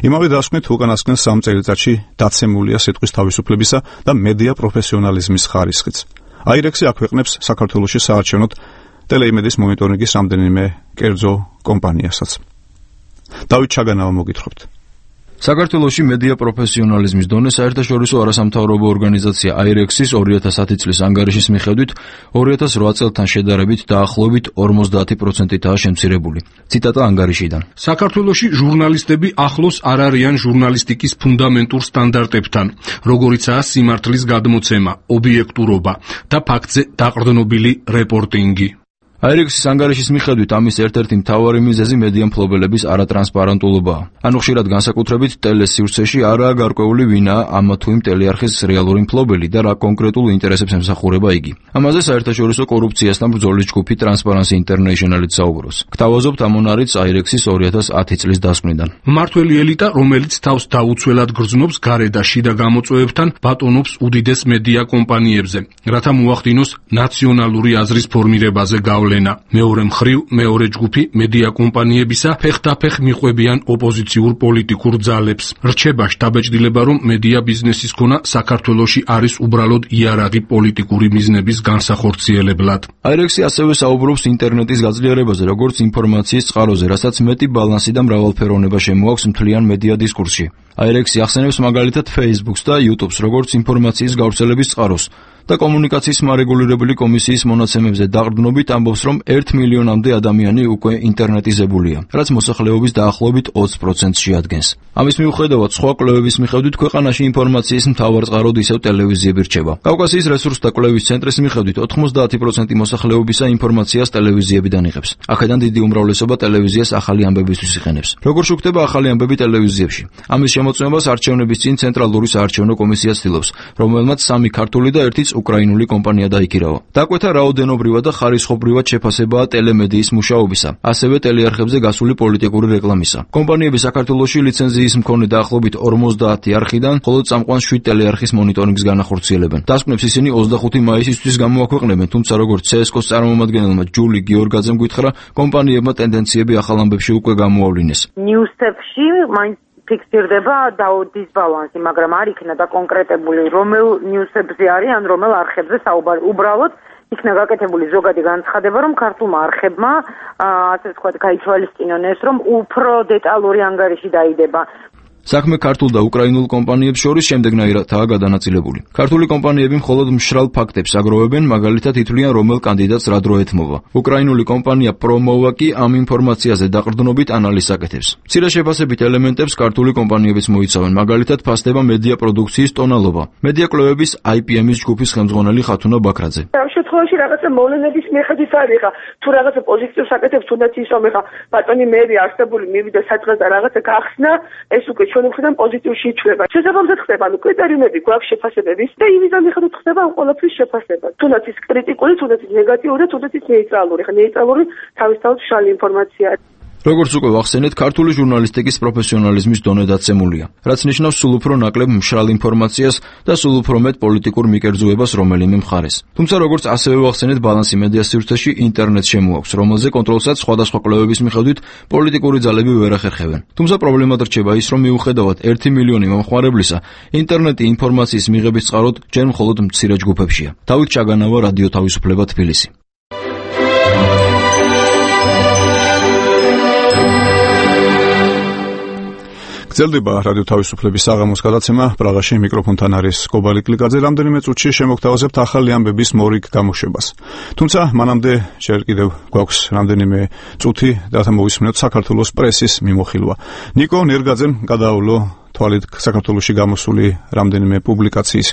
Speaker 1: იმავე დასკვნით უკანასკნელ 3 წელიწადში დაცემულია სიტყვის თავისუფლებისა და მედია პროფესიონალიზმის ხარისხიც. AIREX-ი აქვეყნებს საქართველოში საარჩევნოდ ტელეიმედიის მონიტორინგის რამდენიმე კერძო კომპანიასაც. დავით ჩაგანავა მოგითხრობთ.
Speaker 19: საქართველოში მედია პროფესიონალიზმის დონე საერთაშორისო არასამთავრობო ორგანიზაცია AIREX-ის 2010 წლის ანგარიშის მიხედვით 2008 წელთან შედარებით დაახლოებით 50%-აა შემცირებული. ციტატა ანგარიშიდან.
Speaker 7: საქართველოში ჟურნალისტები ახლოს არ არიან ჟურნალისტიკის ფუნდამენტურ სტანდარტებთან, როგორიცაა სიმართლის გადმოცემა, ობიექტურობა და ფაქტზე დაყრდნობილი რეპორტინგი.
Speaker 19: აირექსის ანგარიშის მიხედვით ამის ერთ-ერთი მთავარი მიზეზი მედია მფლობელების არატრანსპარენტულობაა. ანუ ხშირად განსაკუთრებით ტელესივრცეში არაა გარკვეული ვინაა ამა თუ იმ ტელეარხის რეალური მფლობელი და რა კონკრეტულ ინტერესებს ემსახურება იგი. ამაზე საერთაშორისო კორუფციასთან ბრძოლის ჯგუფი Transparency International-იც საუბრობს. გთავაზობთ ამ მონარიც აირექსის 2010 წლის დასკვნიდან.
Speaker 7: მმართველი ელიტა, რომელიც თავს დაუცველად გრძნობს გარე და შიდა გამოწვევებთან, ბატონობს უდიდეს მედია კომპანიებზე, რათა მოახდინოს ნაციონალური აზრის ფორმირებაზე გავლენა. მეორე მხრივ, მეორე ჯგუფი მედია კომპანიებისა ფეხდაფეხ მიყვებიან ოპოზიციურ პოლიტიკურ ძალებს. რჩება შთაბეჭდილება, რომ მედია ბიზნესის ქონა საქართველოში არის უბრალოდ იარაღი პოლიტიკური მიზნების განსახორციელებლად.
Speaker 19: აირექსი ასევე საუბრობს ინტერნეტის გაძლიერებაზე, როგორც ინფორმაციის წყაროზე, რასაც მეტი ბალანსი და მრავალფეროვნება შემოაქვს მთლიან მედია დისკურსში. აირექსი ახსენებს მაგალითად Facebook-ს და YouTube-ს, როგორც ინფორმაციის გავრცელების წყაროს და კომუნიკაციის მარეგულირებული კომისიის მონაცემებზე დაყრდნობით ამბობს, რომ 1 მილიონამდე ადამიანი უკვე ინტერნეტიზებულია, რაც მოსახლეობის დაახლოებით 20%-ს შეადგენს. ამის მიუხედავად, სხვა კვლევების მიხედვით ქვეყანაში ინფორმაციის მთავარ წყაროდ ისევ ტელევიზიები რჩება. კავკასიის რესურსთა კვლევის ცენტრის მიხედვით 90% მოსახლეობისა ინფორმაციას ტელევიზიებიდან იღებს. აქედან დიდი უმრავლესობა ტელევიზიას ახალი ამბებისთვის იყენებს. როგორ შუქდება ახალი ამბები ტელევიზიებში? ამის შემოწმებას არჩევნების წინ ცენტრალური საარჩევნო კომისია ცდილობს, რომელმაც 3 ქართული და 1 უკრაინული კომპანია დაიქირავა. დაკვეთა რაოდენობრივად და ხარისხობრივად შეფასებაა ტელემედიის მუშაობისა, ასევე ტელეარხებზე გასული პოლიტიკური რეკლამისა. კომპანიები საქართველოში ლიცენზიის მქონე დაახლოებით 50 არხიდან მხოლოდ წამყვან 7 ტელეარხის მონიტორინგს განახორციელებენ. დასკვნებს ისინი 25 მაისისთვის გამოაქვეყნებენ, თუმცა როგორც CSKO-ს წარმომადგენელმა ჯული გიორგაძემ გითხრა, კომპანიებმა ტენდენციები ახალ ამბებში უკვე გამოავლინეს.
Speaker 20: ნიუსებში მაინც ფიქსირდება დისბალანსი, მაგრამ არ იქნა დაკონკრეტებული რომელ ნიუსებზე არის ან რომელ არხებზე საუბარი. უბრალოდ იქნა გაკეთებული ზოგადი განცხადება, რომ ქართულმა არხებმა ასე ვთქვათ, გაითვალისწინონ ეს, რომ უფრო დეტალური ანგარიში დაიდება.
Speaker 19: საქმე ქართულ და უკრაინულ კომპანიებს შორის შემდეგნაირადაა გადანაწილებული. ქართული კომპანიები მხოლოდ მშრალ ფაქტებს აგროვებენ, მაგალითად ითვლიან, რომელ კანდიდატს რა დრო ეთმობა. უკრაინული კომპანია პრომოვა კი ამ ინფორმაციაზე დაყრდნობით ანალიზს აკეთებს. მცირე შეფასებით ელემენტებს ქართული კომპანიებიც მოიცავენ, მაგალითად ფასდება მედია პროდუქციის ტონალობა. მედია კვლევების IPM-ის ჯგუფის ხელმძღვანელი ხათუნა ბაქრაძე.
Speaker 21: ამ შემთხვევაში რაღაცა მოვლენების მიხედვით არის ხა, თუ რაღაცა პოზიტივს აკეთებს, თუნდაც ის რომ ხა ბატონი მერი არსებული მივიდა საწყას და რაღაცა გახსნა, ეს უკვე ჩვენ მხრიდან პოზიტივში იწვება. შესაბამისად ხდება, ანუ კრიტერიუმები გვაქვს შეფასებების და იმის მიხედვით ხდება ამ ყველაფრის შეფასება. თუნდაც ის კრიტიკული, თუნდაც ის ნეგატიური, თუნდაც ის ნეიტრალური. ხა ნეიტრალური თავისთავად მშრალი ინფორმაცია.
Speaker 19: როგორც უკვე ვახსენეთ, ქართული ჟურნალისტიკის პროფესიონალიზმის დონე დაცემულია, რაც ნიშნავს სულ უფრო ნაკლებ მშრალ ინფორმაციას და სულ უფრო მეტ პოლიტიკურ მიკერძუებას რომელიმე მხარეს. თუმცა როგორც ასევე ვახსენეთ, ბალანსი მედია სივრცეში ინტერნეტს შემოაქვს, რომელზე კონტროლსაც სხვადასხვა კვლევების მიხედვით პოლიტიკური ძალები ვერ ახერხებენ. თუმცა პრობლემად რჩება ის, რომ მიუხედავად 1 მილიონი მომხმარებლისა, ინტერნეტი ინფორმაციის მიღების წყაროდ ჯერ მხოლოდ მცირე ჯგუფებშია. დავით ჩაგანავა, რადიო თავისუფლება, თბილისი.
Speaker 1: გრძელდება რადიო თავისუფლების საღამოს გადაცემა. პრაღაში მიკროფონთან არის კობალი კლიკაძე. რამდენიმე წუთში შემოგთავაზებთ ახალი ამბების მორიგ გამოშვებას. თუმცა მანამდე ჯერ კიდევ გვაქვს რამდენიმე წუთი რათა მოვისმინოთ საქართველოს პრესის მიმოხილვა. ნიკო ნერგაძემ გადაავლო თვალით საქართველოში გამოსული რამდენიმე პუბლიკაციის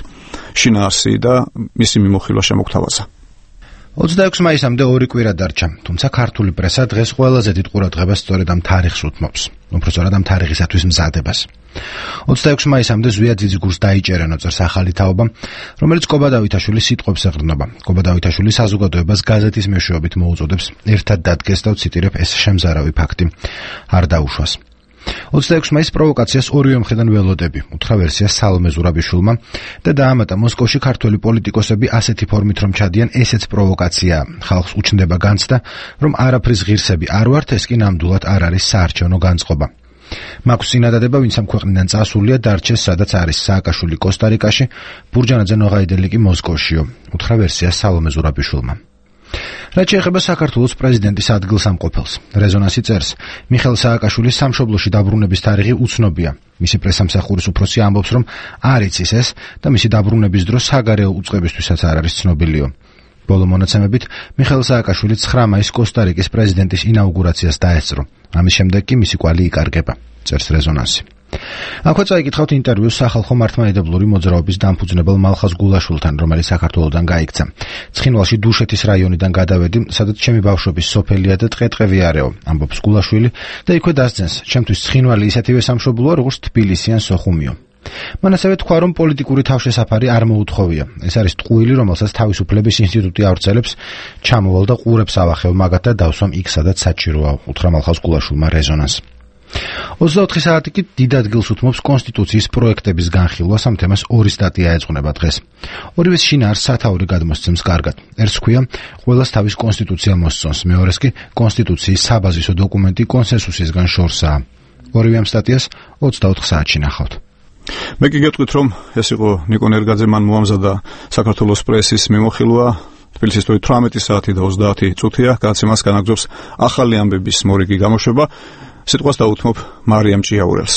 Speaker 1: შინაარსი და მისი მიმოხილვა შემოგთავაზა.
Speaker 6: 26 მაისამდე 2 კვირა დარჩა, თუმცა ქართული პრესა დღეს ყველაზე დიდ ყურადღებას სწორედ ამ თარიღს უთმობს. უпростоრად ამ თარიღისათვის მზადებას. 26 მაისამდე ზვიად ძიძიგურს დაიჭერენ ოწერს ახალი თაობა, რომელიც კობა დავითაშვილის სიტყვებს ეყრდნობა. კობა დავითაშვილი საზოგადოებას გაზეთის მეშვეობით მოუწოდებს ერთად დადგეს და ვციტირებ, ეს შემზარავი ფაქტი არ დაუშვას. 26 მაის პროვოკაციას ორივე მხრიდან ველოდები, უთხრა ვერსიას სალომე ზურაბიშვილმა და დაამატა მოსკოვში ქართველი პოლიტიკოსები ასეთი ფორმით რომ ჩადიან, ესეც პროვოკაციაა. ხალხს უჩნდება განცდა, რომ არაფრის ღირსები არ ვართ, ეს კი ნამდვილად არ არის საარჩევნო განწყობა. მაქვს წინადადება, ვინც ამ ქვეყნიდან წასულია, დარჩეს სადაც არის სააკაშვილი კოსტა-რიკაში, ბურჯანაძე ნოღაიდელი კი მოსკოვშიო, უთხრა ვერსიას სალომე ზურაბიშვილმა. რაც შეეხება საქართველოს პრეზიდენტის ადგილსამყოფელს, რეზონანსი წერს, მიხეილ სააკაშვილის სამშობლოში დაბრუნების თარიღი უცნობია. მისი პრესამსახურის უფროსი ამბობს, რომ არ იცის ეს და მისი დაბრუნების დრო საგარეო უწყებისთვისაც არ არის ცნობილიო. ბოლო მონაცემებით, მიხეილ სააკაშვილი 9 მაისს კოსტა-რიკის პრეზიდენტის ინაუგურაციას დაესწრო. ამის შემდეგ კი მისი კვალი იკარგება, წერს რეზონანსი. აქვე წაიკითხავთ ინტერვიუს სახალხო მართლმადიდებლური მოძრაობის დამფუძნებელ მალხაზ გულაშვილთან, რომელიც საქართველოსდან გაიქცა. ცხინვალში დუშეთის რაიონიდან გადავედი, სადაც ჩემი ბავშვობის სოფელია და ტყე-ტყევი არეო, ამბობს გულაშვილი და იქვე დასძენს, ჩემთვის ცხინვალი ისეთივე სამშობლოა, როგორც თბილისი ან სოხუმიო. მან ასევე თქვა, რომ პოლიტიკური თავშესაფარი არ მოუთხოვია. ეს არის ტყუილი, რომელსაც თავისუფლების ინსტიტუტი ავრცელებს, ჩამოვალ და ყურებს ავახევ მაგათ და დავსვამ იქ, სადაც საჭიროა, უთხრა მალხაზ გულაშვილმა რეზონანს. 24 საათი კი დიდ ადგილს უთმობს კონსტიტუციის პროექტების განხილვას, ამ თემას 2 სტატია ეძღვნება დღეს. ორივეს შინაარსს სათაური გადმოსცემს კარგად. ერთს ქვია, ყველას თავის კონსტიტუცია მოსწონს, მეორეს კი კონსტიტუციის საბაზისო დოკუმენტი კონსენსუსისგან შორსაა. ორივე ამ სტატიას 24 საათში ნახავთ.
Speaker 1: მე კი გეტყვით, რომ ეს იყო ნიკო ნერგაძე, მან მოამზადა საქართველოს პრესის მიმოხილვა. თბილისის 18 საათი და 30 წუთია, გადაცემას განაგრძობს ახალი ამბების მორიგი გამოშვება. სიტყვას დაუთმობ მარიამ ჭიაურელს.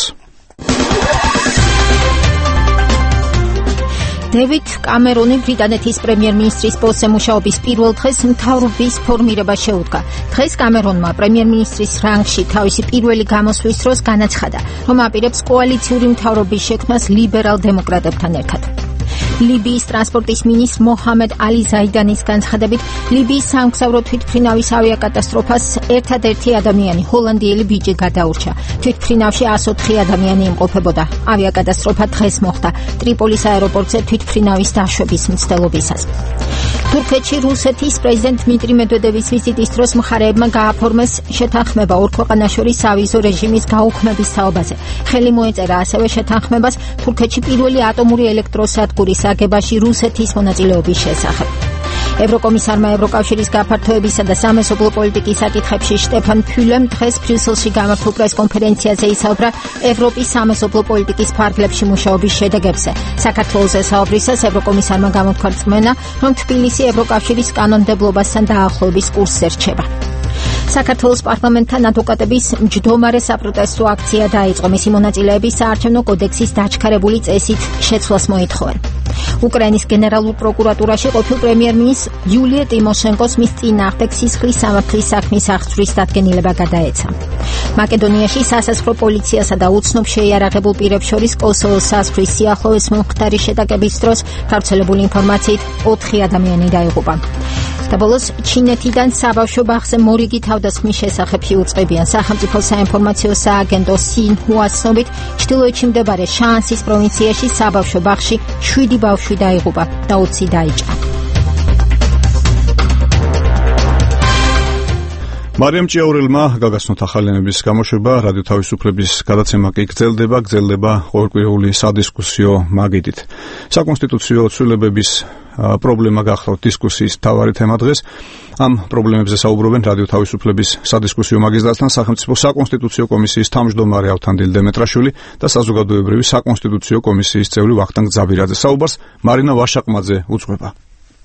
Speaker 2: დევიდ კამერონი ბრიტანეთის პრემიერ-მინისტრის პოსტზე მუშაობის პირველ დღეს მთავრობის ფორმირებას შეუდგა. დღეს კამერონმა პრემიერ-მინისტრის რანგში თავისი პირველი გამოსვლის დროს განაცხადა, რომ აპირებს კოალიციური მთავრობის შექმნას ლიბერალ დემოკრატებთან ერთად. ლიბიის ტრანსპორტის მინისტრ მოჰამედ ალი ზაიდანის განცხადებით, ლიბიის სამგზავრო თვითმფრინავის ავიაკატასტროფას ერთადერთი ადამიანი, ჰოლანდიელი ბიჭი გადაურჩა. თვითმფრინავში 104 ადამიანი იმყოფებოდა. ავიაკატასტროფა დღეს მოხდა ტრიპოლის აეროპორტზე თვითმფრინავის დაშვების მცდელობისას. თურქეთში რუსეთის პრეზიდენტ დმიტრი მედვედევის ვიზიტის დროს მხარეებმა გააფორმეს შეთანხმება ორ ქვეყანას შორის სავიზო რეჟიმის გაუქმების თაობაზე. ხელი მოეწერა ასევე შეთანხმებას თურქეთში პირველი ატომური ელექტროსადგურის აგებაში რუსეთის მონაწილეობის შესახებ. ევროკომისარმა ევროკავშირის გაფართოებისა და სამეზობლო პოლიტიკის საკითხებში შტეფან ფიულემ დღეს ბრიუსელში გამართულ პრესკონფერენციაზე ისაუბრა ევროპის სამეზობლო პოლიტიკის ფარგლებში მუშაობის შედეგებზე. საქართველოს საუბრისას ევროკომისარმა გამოთქვა რწმენა, რომ თბილისი ევროკავშირის კანონმდებლობასთან დაახლოების კურსზე რჩება. საქართველოს პარლამენტთან ადვოკატების მჯდომარე საპროტესტო აქცია დაიწყო. მისი მონაწილეები საარჩევნო კოდექსის დაჩქარებული წესით შეცვლას მოითხოვენ. უკრაინის გენერალურ პროკურატურაში ყოფილ პრემიერ-მინისტრ იულია ტიმოშენკოს მის წინააღმდეგ სისხლის სამართლის საქმის აღძვრის დადგენილება გადაეცა. მაკედონიაში სასაზღვრო პოლიციასა და უცნობ შეიარაღებულ პირებს შორის კოსოვოს საზღვრის სიახლოვეს მომხდარი შეტაკების დროს გავრცელებული ინფორმაციით 4 ადამიანი დაიღუპა. და ბოლოს ჩინეთიდან საბავშვო ბაღზე მორიგი თავდასხმის შესახებ იუწყებიან. სახელმწიფო საინფორმაციო სააგენტო სინჰუას ცნობით, ჩრდილოეთში მდებარე შანსის პროვინციაში საბავშვო ბაღში 7 ბავშვი დაიღუპა და 20 დაიჭრა.
Speaker 1: მარიამ ჭიაურელმა გაგაცნოთ ახალენების გამოშვება, რადიო თავისუფლების გადაცემა კი გრძელდება ყოველკვირეული სადისკუსიო მაგიდით. საკონსტიტუციო ცვლილებების პრობლემა გახლავთ დისკუსიის მთავარი თემა დღეს. ამ პრობლემებზე საუბრობენ რადიო თავისუფლების სადისკუსიო მაგისტრატთან სახელმწიფო საკონსტიტუციო კომისიის თავმჯდომარე ავთანდილ დემეტრაშვილი და საზოგადოებრივი საკონსტიტუციო კომისიის წევრი ვახტანგ ძაბირაძე. საუბარს მარინა ვაშაყმაძე უძღვება.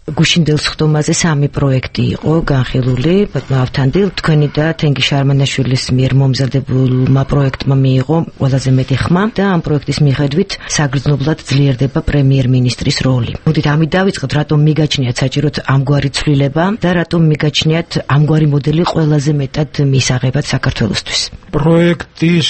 Speaker 9: გუშინდელ სხდომაზე 3 პროექტი იყო განხილული. ავთანდილ, თქვენი და თენგი შარმანაშვილის მიერ მომზადებულმა პროექტმა მიიღო ყველაზე მეტი ხმა და ამ პროექტის მიხედვით საგრძნობლად ძლიერდება პრემიერ-მინისტრის როლი. მოდით ამით დავიწყოთ, რატომ მიგაჩნიათ საჭიროდ ამგვარი ცვლილება და რატომ მიგაჩნიათ ამგვარი მოდელი ყველაზე მეტად მისაღებად საქართველოსთვის.
Speaker 22: პროექტის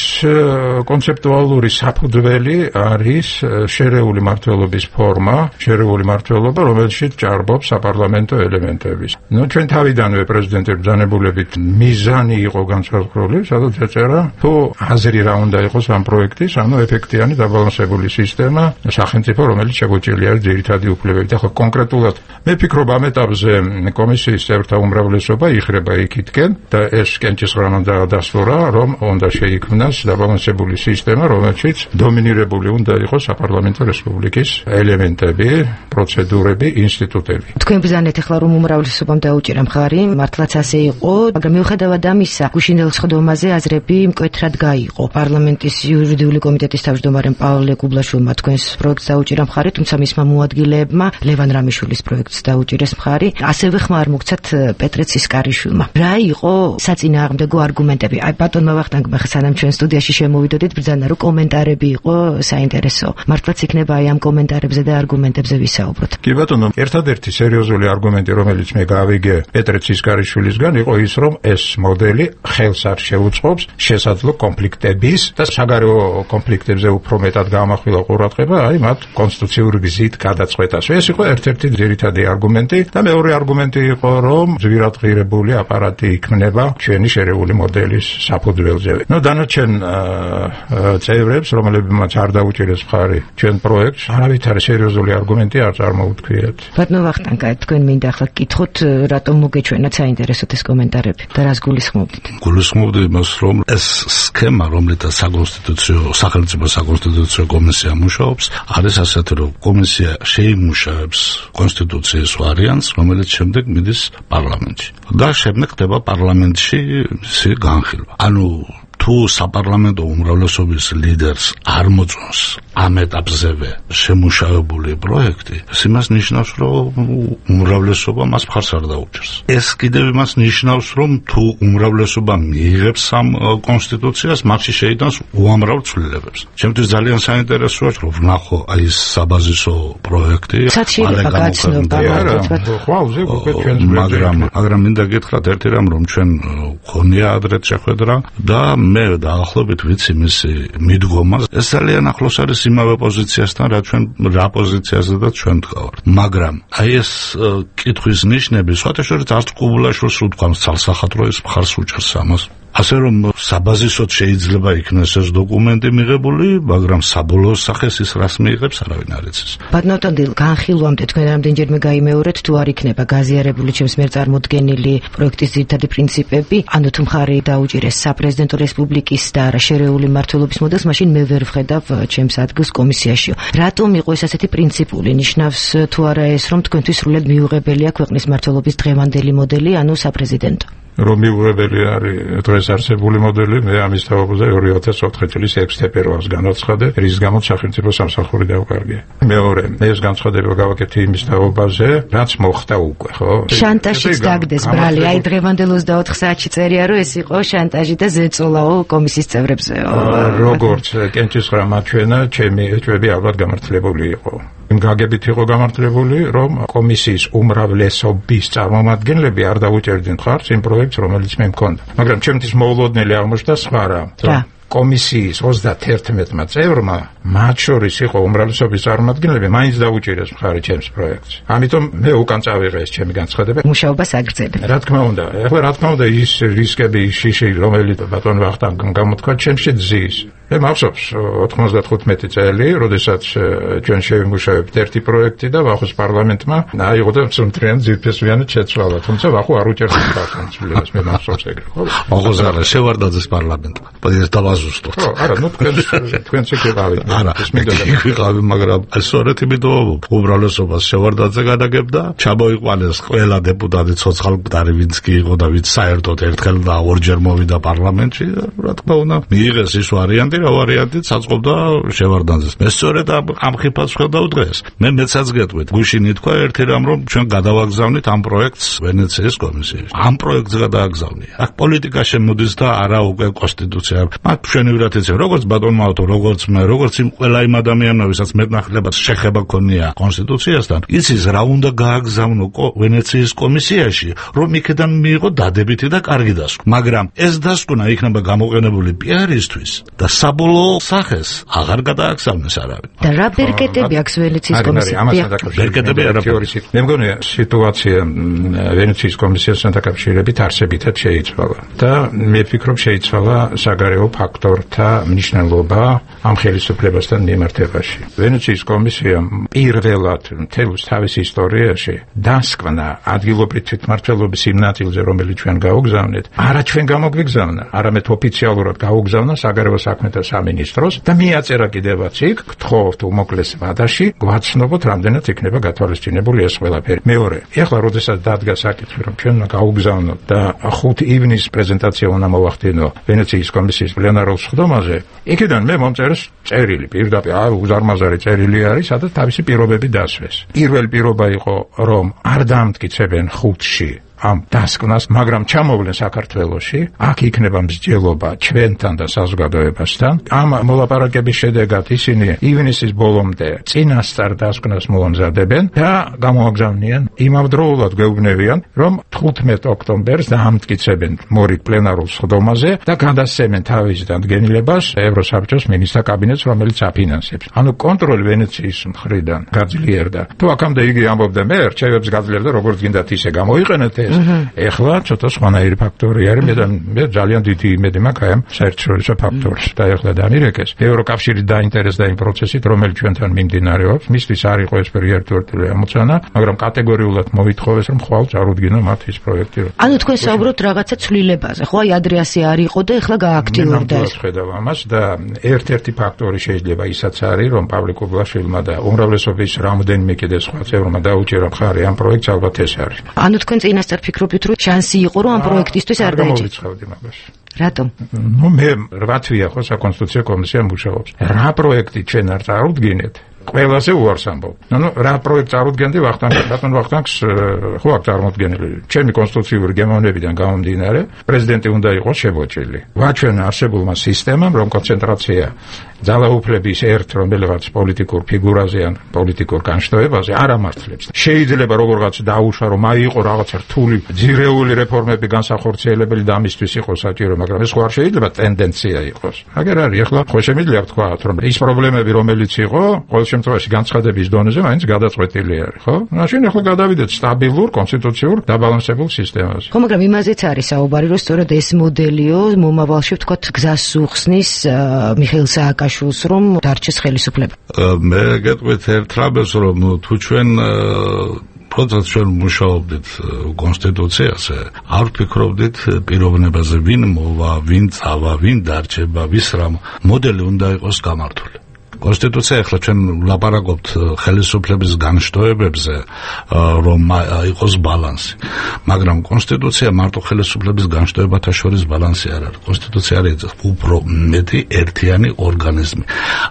Speaker 22: კონცეპტუალური საფუძველი არის შერეული მმართველობის ფორმა, შერეული მმართველობა, რომელშიც ჭარბობს საპარლამენტო ელემენტების. ჩვენ თავიდანვე პრეზიდენტის ბრძანებულებით მიზანი იყო განსაზღვრული, სადაც ეწერა, თუ აზრი რა უნდა იყოს ამ პროექტის, ანუ ეფექტიანი დაბალანსებული სისტემა, სახელმწიფო, რომელიც შეგვიძლია ძირითადი უფლებებით. ახლა კონკრეტულად მე ვფიქრობ, ამ ეტაპზე კომისიის წევრთა უმრავლესობა იხრება იქითკენ და ეს კენჭისყრანა დასწორა, რომ უნდა შეიქმნას დაბალანსებული სისტემა, რომელშიც დომინირებული უნდა იყოს საპარლამენტო რესპუბლიკის ელემენტები, პროცედურები, ინსტიტუტები.
Speaker 9: თქვენ ბრძანეთ ახლა რომ უმრავლესობამ დაუჭირა მხარი, მართლაც ასე იყო, მაგრამ მიუხედავად ამისა, გუშინდელ სხდომაზე აზრები მკვეთრად გაიყო. პარლამენტის იურიდიული კომიტეტის თავმჯდომარემ პავლე კუბლაშვილმა თქვენს პროექტს დაუჭირა მხარი, თუმცა მისმა მოადგილეებმა ლევან რამიშვილის პროექტს დაუჭირეს მხარი. ასევე ხმა არ მოგცათ პეტრე ცისკარიშვილმა. რა იყო საწინააღმდეგო არგუმენტები? აი ბატონმა ვახტანგმა სანამ ჩვენ სტუდიაში შემოვიდოდით, ბრძანა რომ კომენტარები იყო საინტერესო. მართლაც იქნება აი ამ კომენტარებზე და არგუმენტებზე ვისაუბროთ.
Speaker 22: კი ბატონო, ერთადერთი ერთ-ერთი სერიოზული არგუმენტი, რომელიც მე გავიგე პეტრე ცისკარიშვილისგან, იყო ის, რომ ეს მოდელი ხელს არ შეუწყობს შესაძლო კონფლიქტების და საგარეო კონფლიქტებზე უფრო მეტად გამახვილა ყურადღება, აი მათ კონსტიტუციური გზით გადაწყვეტას. ეს იყო ერთ-ერთი ძირითადი არგუმენტი და მეორე არგუმენტი იყო, რომ ძვირადღირებული აპარატი იქმნება ჩვენი შერეული მოდელის საფუძველზე. დანარჩენ წევრებს, რომლებმაც არ დაუჭირეს მხარი ჩვენ პროექტს, არავით არის სერიოზული არგუმენტი არ წარმოუდგიათ.
Speaker 9: ბატონო ვახტანგა, თქვენ მინდა ახლა გკითხოთ, რატომ მოგეჩვენათ საინტერესოდ ეს კომენტარები და რას გულისხმობთ?
Speaker 4: გულისხმობდი იმას, რომ ეს სქემა, რომლითაც სახელმწიფო საკონსტიტუციო კომისია მუშაობს, არის ასეთი, რომ კომისია შეიმუშავებს კონსტიტუციის ვარიანტს, რომელიც შემდეგ მიდის პარლამენტში და შემდეგ ხდება პარლამენტში მისი განხილვა. ანუ თუ საპარლამენტო უმრავლესობის ლიდერს არ მოწონს ამ ეტაპზევე შემუშავებული პროექტი, ეს იმას ნიშნავს, რომ უმრავლესობა მას მხარს არ დაუჭერს. ეს კიდევ იმას ნიშნავს, რომ თუ უმრავლესობა მიიღებს ამ კონსტიტუციას, მათში შეიტანს უამრავ ცვლილებებს. ჩემთვის ძალიან საინტერესოა, რომ ვნახო აი ეს საბაზისო პროექტი, მაგრამ მინდა გითხრათ ერთი რამ, რომ ჩვენ გქონია ადრეთ შეხვედრა და მე დაახლოებით ვიცი მისი მიდგომა. ეს ძალიან ახლოს არის იმავე პოზიციასთან, რა პოზიციაზედაც ჩვენ ვდგავართ. მაგრამ აი ეს კითხვის ნიშნები, სხვათა შორის არც ყუბულაშვილს უთქვამს ცალსახადრო ის მხარს უჭერს ამას. ასე რომ საბაზისოდ შეიძლება იქნეს ეს დოკუმენტი მიღებული, მაგრამ საბოლოო სახეს ის რას მიიღებს, არავინ არ იცის.
Speaker 9: ბატონო ტონდილ, განხილვამდე თქვენ რამდენჯერმე გაიმეორეთ, თუ არ იქნება გაზიარებული ჩემს მიერ წარმოდგენილი პროექტის ძირითადი პრინციპები, ანუ თუ მხარი დაუჭირეს საპრეზიდენტო რესპუბლიკის და არა შერეული მმართველობის მოდელს, მაშინ მე ვერ ვხედავ ჩემს ადგილს კომისიაშიო. რატომ იყო ეს ასეთი პრინციპული? ნიშნავს თუ არა ეს, რომ თქვენთვის სრულად მიუღებელია ქვეყნის მმართველობის დღევანდელი მოდელი, ანუ საპრეზიდენტო?
Speaker 22: რომ მიუღებელი არის დღეს არსებული მოდელი, მე ამის თაობაზე 2004 წლის 6 თებერვალს განაცხადე, რის გამოც სახელმწიფო სამსახური დავკარგე. მეორე, მე ეს განცხადება გავაკეთე იმის თაობაზე, რაც მოხდა უკვე, ხო?
Speaker 9: შანტაჟიც დაგდეს ბრალი, აი დღევანდელ 24 საათში წერია, რომ ეს იყო შანტაჟი და ზეწოლაო კომისიის წევრებზეო.
Speaker 22: როგორც კენჭისყრა მაჩვენა, ჩემი ეჭვები ალბათ გამართლებული იყო. იმ გაგებით იყო გამართლებული, რომ კომისიის უმრავლესობის წარმომადგენლები არ დაუჭერდნენ მხარს იმ პროექტს, რომელიც მე მქონდა. მაგრამ ჩემთვის მოულოდნელი აღმოჩნდა სხვა რამ. კომისიის 31-მა წევრმა, მათ შორის იყო უმრავლესობის წარმომადგენლები, მაინც დაუჭირეს მხარი ჩემს პროექტს. ამიტომ მე უკან წავიღე ეს ჩემი განცხადება.
Speaker 9: მუშაობას აგრძელებ.
Speaker 22: რა თქმა უნდა, ახლა რა თქმა უნდა ის რისკები, ის შიში, რომელიც ბატონ ვახტანგამ გამოთქვა, ჩემში ძის. მე მახსოვს 95 წელი, როდესაც ჩვენ შევიმუშავებთ ერთი პროექტი და ვახოს პარლამენტმა აიღო და მწვრთნიან ძირფესვიანად შეცვალა, თუმცა ვახო არ უჭერს პარლამენტს, მე მახსოვს ეგრე, ხო?
Speaker 4: ვახოს არა, შევარდაძეს პარლამენტმა. დავაზუსტოთ.
Speaker 22: არა, თქვენც ეკავით.
Speaker 4: არა, ვიყავი, მაგრამ სწორედ იმიტომ უმრავლესობას შევარდაძე გადაგებდა, ჩამოიყვანეს ყველა დეპუტატი ცოცხალ მკვდარი, ვინც კი იყო და ვინც საერთოდ ერთხელ და ორჯერ მოვიდა პარლამენტში, რა თქმა უნდა, მიიღეს ის ვარიანტი, რა ვარიანტი საწყობდა შევარდაძეს. მე სწორედ ამ ხიფას ხედავ დღეს. მე მეცაც გეტყვით, გუშინ ითქვა ერთი რამ, რომ ჩვენ გადავაგზავნით ამ პროექტს ვენეციის კომისიაში. ამ პროექტს გადააგზავნია. აქ პოლიტიკა შემოდის და არა უკვე კონსტიტუცია. მათ მშვენივრად იციან, როგორც ბატონმა ავთო, როგორც მე, როგორც იმ ყველა იმ ადამიანმა, ვისაც მეტნახლებად შეხება ქონია კონსტიტუციასთან, იცის რა უნდა გააგზავნო ვენეციის კომისიაში, რომ იქიდან მიიღო დადებითი და კარგი დასკვნა. მაგრამ ეს დასკვნა იქნება გამოყენებული პიარისთვის და საბოლოო სახეს აღარ გადააგზავნეს არავინ.
Speaker 9: და რა ბერკეტები აქვს ვენეციის კომისიაში?
Speaker 22: ბერკეტები არაფერი. მე მგონია სიტუაცია ვენეციის კომისიასთან დაკავშირებით არსებითად შეიცვალა და მე ვფიქრობ შეიცვალა საგარეო ფაქტორთა მნიშვნელობა ამ ხელისუფლებასთან მიმართებაში. ვენეციის კომისიამ პირველად მთელს თავის ისტორიაში დასკვნა ადგილობრივი თვითმმართველობის იმ ნაწილზე, რომელიც ჩვენ გავუგზავნეთ, არა ჩვენ გამოგვიგზავნა, არამედ ოფიციალურად გავუგზავნა საგარეო საქმეთა სამინისტროს და მიაწერა კიდევაც იქ, გთხოვთ უმოკლეს ვადაში, გვაცნობოთ რამდენად იქნება გათვალისწინებული ეს ყველაფერი. მეორე, ეხლა როდესაც დადგა საკითხი, რომ ჩვენ გავუგზავნოთ და 5 ივნისის პრეზენტაცია უნდა მოვახდინო ვენეციის კომისიის პლენარულ სხდომაზე, იქიდან მე მომწერეს წერილი, პირდაპირ უზარმაზარი წერილი არის, სადაც თავისი პირობები დასვეს. პირველი პირობა იყო, რომ არ დაამტკიცებენ 5-ში ამ დასკვნას, მაგრამ ჩამოვლენ საქართველოში, აქ იქნება მსჯელობა ჩვენთან და საზოგადოებასთან. ამ მოლაპარაკების შედეგად ისინი ივნისის ბოლომდე წინასწარ დასკვნას მოამზადებენ და გამოაგზავნიან იმავდროულად გვეუბნებიან, რომ 15 ოქტომბერს დაამტკიცებენ მორიგ პლენარულ სხდომაზე და გადასცემენ თავის დადგენილებას ევროსაბჭოს მინისტრთა კაბინეტს, რომელიც აფინანსებს. ანუ კონტროლი ვენეციის მხრიდან გაძლიერდა. თუ აქამდე იგი ამბობდა მე რჩევებს გაძლიერდა, როგორც გინდათ ისე გამოიყენეთ ეს. ეხლა ცოტა სხვანაირი ფაქტორი არის, მე ძალიან დიდი იმედი მაქვს აი ამ საერთაშორისო ფაქტორს და ეხლა დამირეკეს. ევროკავშირი დაინტერესდა იმ პროცესით, რომელიც ჩვენთან მიმდინარეობს. მისთვის არ იყო ეს ერთგვარი ამოცანა, მაგრამ კატეგორიულად მოითხოვეს, რომ ხვალ წარუდგინო მათ ის პროექტი.
Speaker 9: ანუ თქვენ საუბრობთ რაღაცა ცვლილებაზე, ხო? აი ადრე ასე არ იყო და ეხლა გააქტიურდა ეს.
Speaker 22: ხედავ ამას და ერთ-ერთი ფაქტორი შეიძლება ისაც არის, რომ პავლე კუბლაშვილმა და უმრავლესობის რამდენიმე კიდე სხვა წევრმა დაუჭერა მხარი ამ პროექტს, ალბათ ეს არის.
Speaker 9: ანუ თქვენ წინასწარ ფიქრობთ, რომ შანსი იყო, რომ ამ პროექტისთვის არ დაიჭირა?
Speaker 22: გამოვიწყავდი მაგას.
Speaker 9: რატომ?
Speaker 22: მე 8 თვეა ხო საკონსტიტუციო კომისია მუშაობს. რა პროექტი ჩვენ არ წარუდგინეთ? ყველაზე უარს ამბობ. რა პროექტს წარუდგენდი ვახტანგს ხო აქ წარმოდგენილი. ჩემი კონსტიტუციური გემოვნებიდან გამომდინარე, პრეზიდენტი უნდა იყოს შემოჭრილი. ვაჩვენ არსებულმა სისტემამ, რომ კონცენტრაცია ძალაუფლების ერთ რომელიღაც პოლიტიკურ ფიგურაზე ან პოლიტიკურ განშტოებაზე არ ამართლებს. შეიძლება როგორღაც დაუშვა, რომ აიყო რაღაცა რთული ძირეული რეფორმები განსახორციელებელი და ამისთვის იყოს საჭირო, მაგრამ ეს ხო არ შეიძლება ტენდენცია იყოს. აგერ არის, ახლა ხო შემიძლია ვთქვა, რომ ის პრობლემები, რომელიც იყო, ყოველ შემთხვევაში განცხადების დონეზე მაინც გადაწყვეტილი არის, ხო? მაშინ ახლა გადავიდეთ სტაბილურ, კონსტიტუციურ, დაბალანსებულ სისტემაზე.
Speaker 9: ხო, მაგრამ იმაზეც არის საუბარი, რომ სწორედ ეს მოდელიო მომავალში ვთქვათ გზას უხსნის მიხეილ სააკაშვილს, რომ დარჩეს ხელისუფლება.
Speaker 4: მე გეტყვით ერთ რამეს, რომ თუ ჩვენ როდესაც ჩვენ მუშაობდით კონსტიტუციაზე, არ ვფიქრობდით პიროვნებაზე, ვინ მოვა, ვინ წავა, ვინ დარჩება, ვის რა მოდელი უნდა იყოს გამართული. კონსტიტუცია ახლა ჩვენ ვლაპარაკობთ ხელისუფლების განშტოებებზე, რომ იყოს ბალანსი, მაგრამ კონსტიტუცია მარტო ხელისუფლების განშტოებათა შორის ბალანსი არ არის. კონსტიტუცია არის უფრო მეტი ერთიანი ორგანიზმი.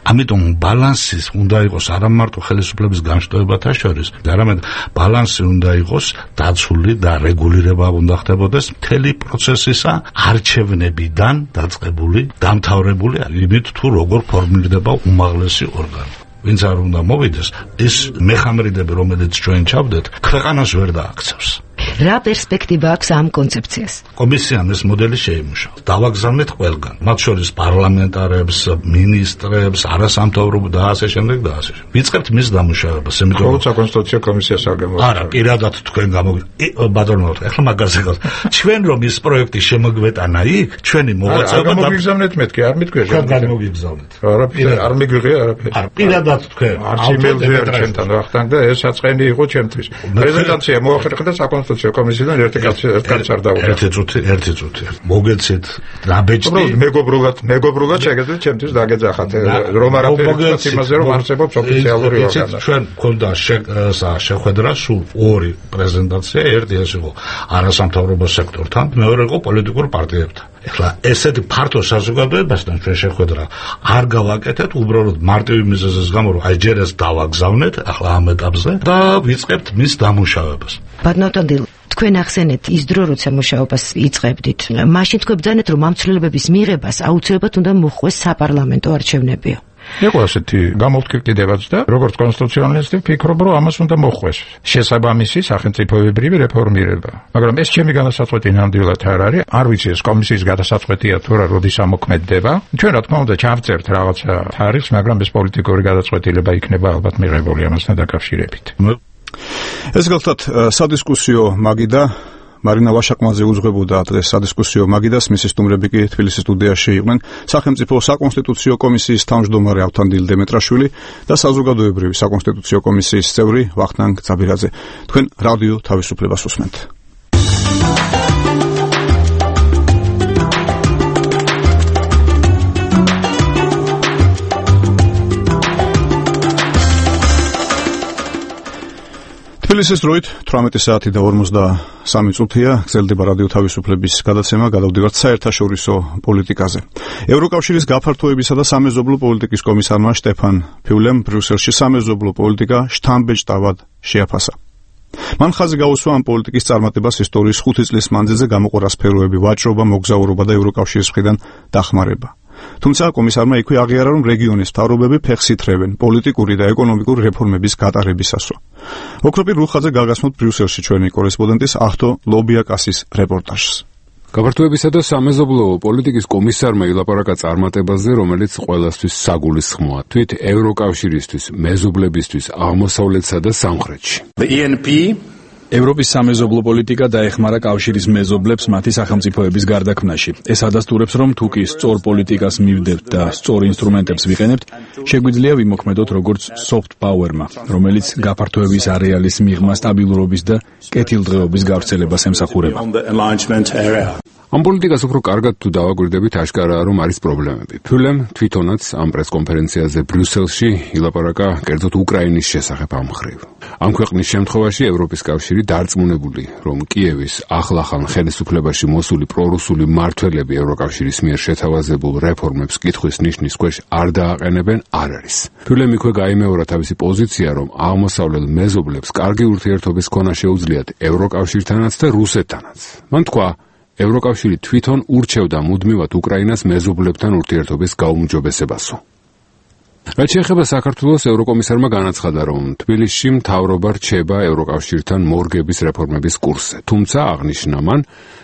Speaker 4: ამიტომ ბალანსი უნდა იყოს არა მარტო ხელისუფლების განშტოებათა შორის, არამედ ბალანსი უნდა იყოს დაცული და რეგულირება უნდა ხდებოდეს მთელი პროცესისა არჩევნებიდან დაწყებული, დამთავრებული იმით თუ როგორ ფორმირდება უმაღლესი ორგანო. ვინც არ უნდა მოვიდეს, ის მეხამრიდები, რომელიც ჩვენ ჩავდეთ, ქვეყანას ვერ დააქცევს.
Speaker 9: რა პერსპექტივა აქვს ამ კონცეფციას?
Speaker 4: კომისიამ ეს მოდელი შეიმუშავა. დავაგზავნეთ ყველგან, მათ შორის პარლამენტარებს, მინისტრებს, არასამთავრობო და ასე შემდეგ და ასე შემდეგ. ვიწყებთ მის დამუშავებას,
Speaker 22: იმიტომ რომ საკონსტიტუციო კომისიას არ გამოვიდა.
Speaker 4: არა, პირადად თქვენ ბატონო, ახლა მაგაზე გავს. ჩვენ რომ ის პროექტი შემოგვეტანა იქ, ჩვენი მოღვაწეობა
Speaker 22: და გამოგიგზავნეთ მეთქი, არ მეთქვია.
Speaker 4: გამოგიგზავნეთ.
Speaker 22: არ მიგვიღია არაფერი.
Speaker 4: არა, პირადად თქვენ.
Speaker 22: არჩევნებზე არ ჩვენთან ვახტანგ და ეს საწყენი იყო ჩემთვის. პრეზენტაცია მოახერხა საკონსტიტუციო კომისიიდან ერთი კაცი არ დაუდგა.
Speaker 4: ერთი წუთი. მოგეცეთ რაბეჭდი.
Speaker 22: მეგობრულად შეგეძლოთ ჩემთვის დაგეძახათ რომ არაფერი თქვა იმაზე რომ არსებობს ოფიციალური ორგანო.
Speaker 4: ჩვენ გქონდა შეხვედრა სულ ორი პრეზენტაცია, ერთი ეს იყო არასამთავრობო სექტორთან, მეორე იყო პოლიტიკურ პარტიებთან. ეხლა ესეთი ფართო საზოგადოებასთან ჩვენ შეხვედრა არ გავაკეთეთ, უბრალოდ მარტივი მიზეზის გამო რომ აი ჯერ ეს დავაგზავნეთ ახლა ამ ეტაპზე და ვიწყებთ მის დამუშავებას.
Speaker 9: ბატონო, თქვენ ახსენეთ ის დრო, როცა მუშაობას იწყებდით. მაშინ თქვენ ბრძანეთ, რომ ამ ცვლილებების მიღებას აუცილებლად უნდა მოხდეს საპარლამენტო არჩევნებიო.
Speaker 22: იყო ასეთი გამოვთქვიდებაც და როგორც კონსტიტუციონალისტი ვფიქრობ, რომ ამას უნდა მოხდეს შესაბამისი სახელმწიფოებრივი რეფორმირება. მაგრამ ეს ჩემი განსაცვეთი ნამდვილად არ არის. არ ვიცი ეს კომისიის გადასაწყვეტია თუ რა, როდის ამოქმედდება. ჩვენ რა თქმა უნდა ჩავწერთ რაღაცა თარიღს, მაგრამ ეს პოლიტიკური გადაწყვეტილება იქნება ალბათ მიღებული ამასთან დაკავშირებით.
Speaker 1: ეს გახლავთ სადისკუსიო მაგიდა მარინა ვაშაკმაძე უძღვებოდა დღეს სადისკუსიო მაგიდას, მისი სტუმრები კი თბილისის სტუდიაში იყვნენ სახელმწიფო საკონსტიტუციო კომისიის თავმჯდომარე ავთანდილ დემეტრაშვილი და საზოგადოებრივი საკონსტიტუციო კომისიის წევრი ვახტანგ ძაბირაძე. თქვენ რადიო თავისუფლებას უსმენთ. თბილისის დროით 18 საათი და 53 წუთია გრძელდება რადიო თავისუფლების გადაცემა, გადავდივართ საერთაშორისო პოლიტიკაზე. ევროკავშირის გაფართოებისა და სამეზობლო პოლიტიკის კომისარმა შტეფან ფიულემ ბრიუსელში სამეზობლო პოლიტიკა შთამბეჭდავად შეაფასა. მან ხაზი გაუსვა ამ პოლიტიკის წარმატებას ისტორიის 5 წლის მანძილზე გამოყო სფეროები, ვაჭრობა, მოგზაურობა და ევროკავშირის მხრიდან დახმარება. თუმცა კომისარმა იქვე აღიარა, რომ რეგიონის მთავრობები ფეხს ითრევენ პოლიტიკური და ეკონომიკური რეფორმების გატარებისასო. ოქროპირ რუხაძე გაგასმოთ ბრიუსელში ჩვენი კორესპონდენტის ახთო ლობიაკასის რეპორტაჟს.
Speaker 8: გაფართოებისა და სამეზობლო პოლიტიკის კომისარმა ილაპარაკა წარმატებაზე, რომელიც ყველასთვის საგულისხმოა. თვით ევროკავშირისთვის, მეზობლებისთვის, აღმოსავლეთსა და სამხრეთში.
Speaker 3: ევროპის სამეზობლო პოლიტიკა დაეხმარა კავშირის მეზობლებს მათი სახელმწიფოების გარდაქმნაში. ეს ადასტურებს, რომ თუ კი სწორ პოლიტიკას მივდებთ და სწორ ინსტრუმენტებს ვიყენებთ, შეგვიძლია ვიმოქმედოთ როგორც soft power-მა, რომელიც გაფართოების არეალის მიღმა, სტაბილურობის და კეთილდღეობის გავრცელებას ემსახურება.
Speaker 8: ამ პოლიტიკას უფრო კარგად თუ დავაკვირდებით, აშკარაა, რომ არის პრობლემები. ფულემ თვითონაც ამ პრესკონფერენციაზე ბრიუსელში ილაპარაკა კერძოდ უკრაინის შესახებ ამ მხრივ. ამ ქვეყნის შემთხვევაში ევროპის კავშირი დარწმუნებული, რომ კიევის ახლახან ხელისუფლებაში მოსული პრორუსული მმართველები ევროკავშირის მიერ შეთავაზებულ რეფორმებს კითხვის ნიშნის ქვეშ არ დააყენებენ, არ არის. ფულემ იქვე გაიმეორა თავისი პოზიცია, რომ აღმოსავლელ მეზობლებს კარგი ურთიერთობის ქონა შეუძლიათ ევროკავშირთანაც და რუსეთთანაც. მან თქვა, ევროკავშირი თვითონ ურჩევდა მუდმივად უკრაინას მეზობლებთან ურთიერთობის გაუმჯობესებასო. რაც შეეხება საქართველოს, ევროკომისარმა განაცხადა, რომ თბილისში მთავრობა რჩება ევროკავშირთან მორგების რეფორმების კურსზე. თუმცა აღნიშნა მან,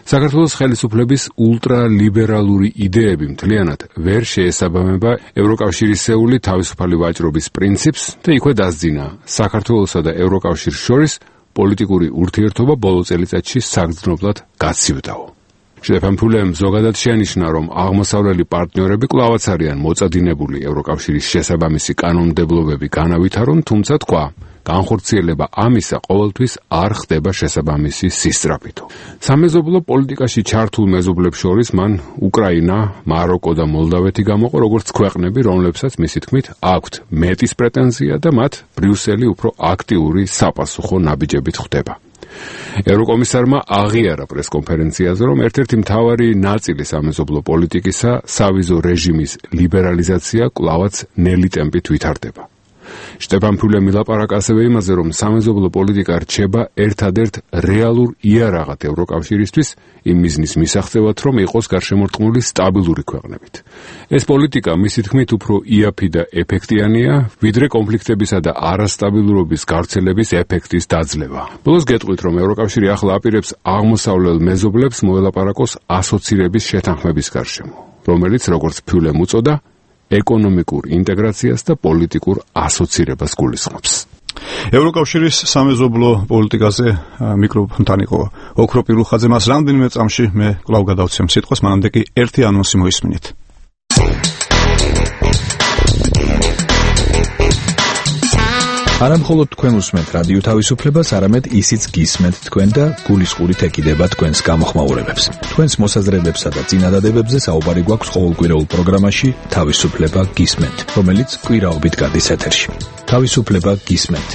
Speaker 8: საქართველოს ხელისუფლების ულტრალიბერალური იდეები მთლიანად ვერ შეესაბამება ევროკავშირისეული თავისუფალი ვაჭრობის პრინციპს და იქვე დასძინა საქართველოსა და ევროკავშირს შორის პოლიტიკური ურთიერთობა ბოლო წელიწადში საგრძნობლად გაცივდაო. შტეფან ფულემ ზოგადად შეანიშნა, რომ აღმოსავლელი პარტნიორები კვლავაც არიან მოწადინებული ევროკავშირის შესაბამისი კანონმდებლობები განავითარონ, თუმცა თქვა, განხორციელება ამისა ყოველთვის არ ხდება შესაბამისი სისწრაფითო. სამეზობლო პოლიტიკაში ჩართულ მეზობლებს შორის მან უკრაინა, მაროკო და მოლდავეთი გამოყო როგორც ქვეყნები, რომლებსაც მისი თქმით აქვთ მეტის პრეტენზია და მათ ბრიუსელი უფრო აქტიური საპასუხო ნაბიჯებით ხვდება. ევროკომისარმა აღიარა პრესკონფერენციაზე, რომ ერთ-ერთი მთავარი ნაწილი სამეზობლო პოლიტიკისა, სავიზო რეჟიმის ლიბერალიზაცია კვლავაც ნელი ტემპით ვითარდება. შტეფან ფულემ ილაპარაკა ასევე იმაზე, რომ სამეზობლო პოლიტიკა რჩება ერთადერთ რეალურ იარაღად ევროკავშირისთვის, იმ მიზნის მისაღწევად, რომ იყოს გარშემორტყმული სტაბილური ქვეყნებით. ეს პოლიტიკა, მისი თქმით, უფრო იაფი და ეფექტიანია, ვიდრე კონფლიქტებისა და არასტაბილურობის გავრცელების ეფექტის დაძლევა. ბოლოს გეტყვით, რომ ევროკავშირი ახლა აპირებს აღმოსავლელ მეზობლებს მოელაპარაკოს ასოცირების შეთანხმების გარშემო, რომელიც, როგორც ფულემ უწოდა, ეკონომიკურ ინტეგრაციას და პოლიტიკურ ასოცირებას გულისხმობს.
Speaker 1: ევროკავშირის სამეზობლო პოლიტიკაზე მიკროფონთან იყო ოქროპირ რუხაძე. მას რამდენიმე წამში მე კვლავ გადავცემ სიტყვას, მანამდე კი ერთი ანონსი მოისმინეთ.
Speaker 3: არა მხოლოდ თქვენ უსმენთ რადიო თავისუფლებას, არამედ ისიც გისმენთ თქვენ და გულისყურით ეკიდება თქვენს გამოხმაურებებს. თქვენს მოსაზრებებსა და წინადადებებზე საუბარი გვაქვს ყოველკვირეულ პროგრამაში თავისუფლება გისმენთ, რომელიც კვირაობით გადის ეთერში. თავისუფლება გისმენთ.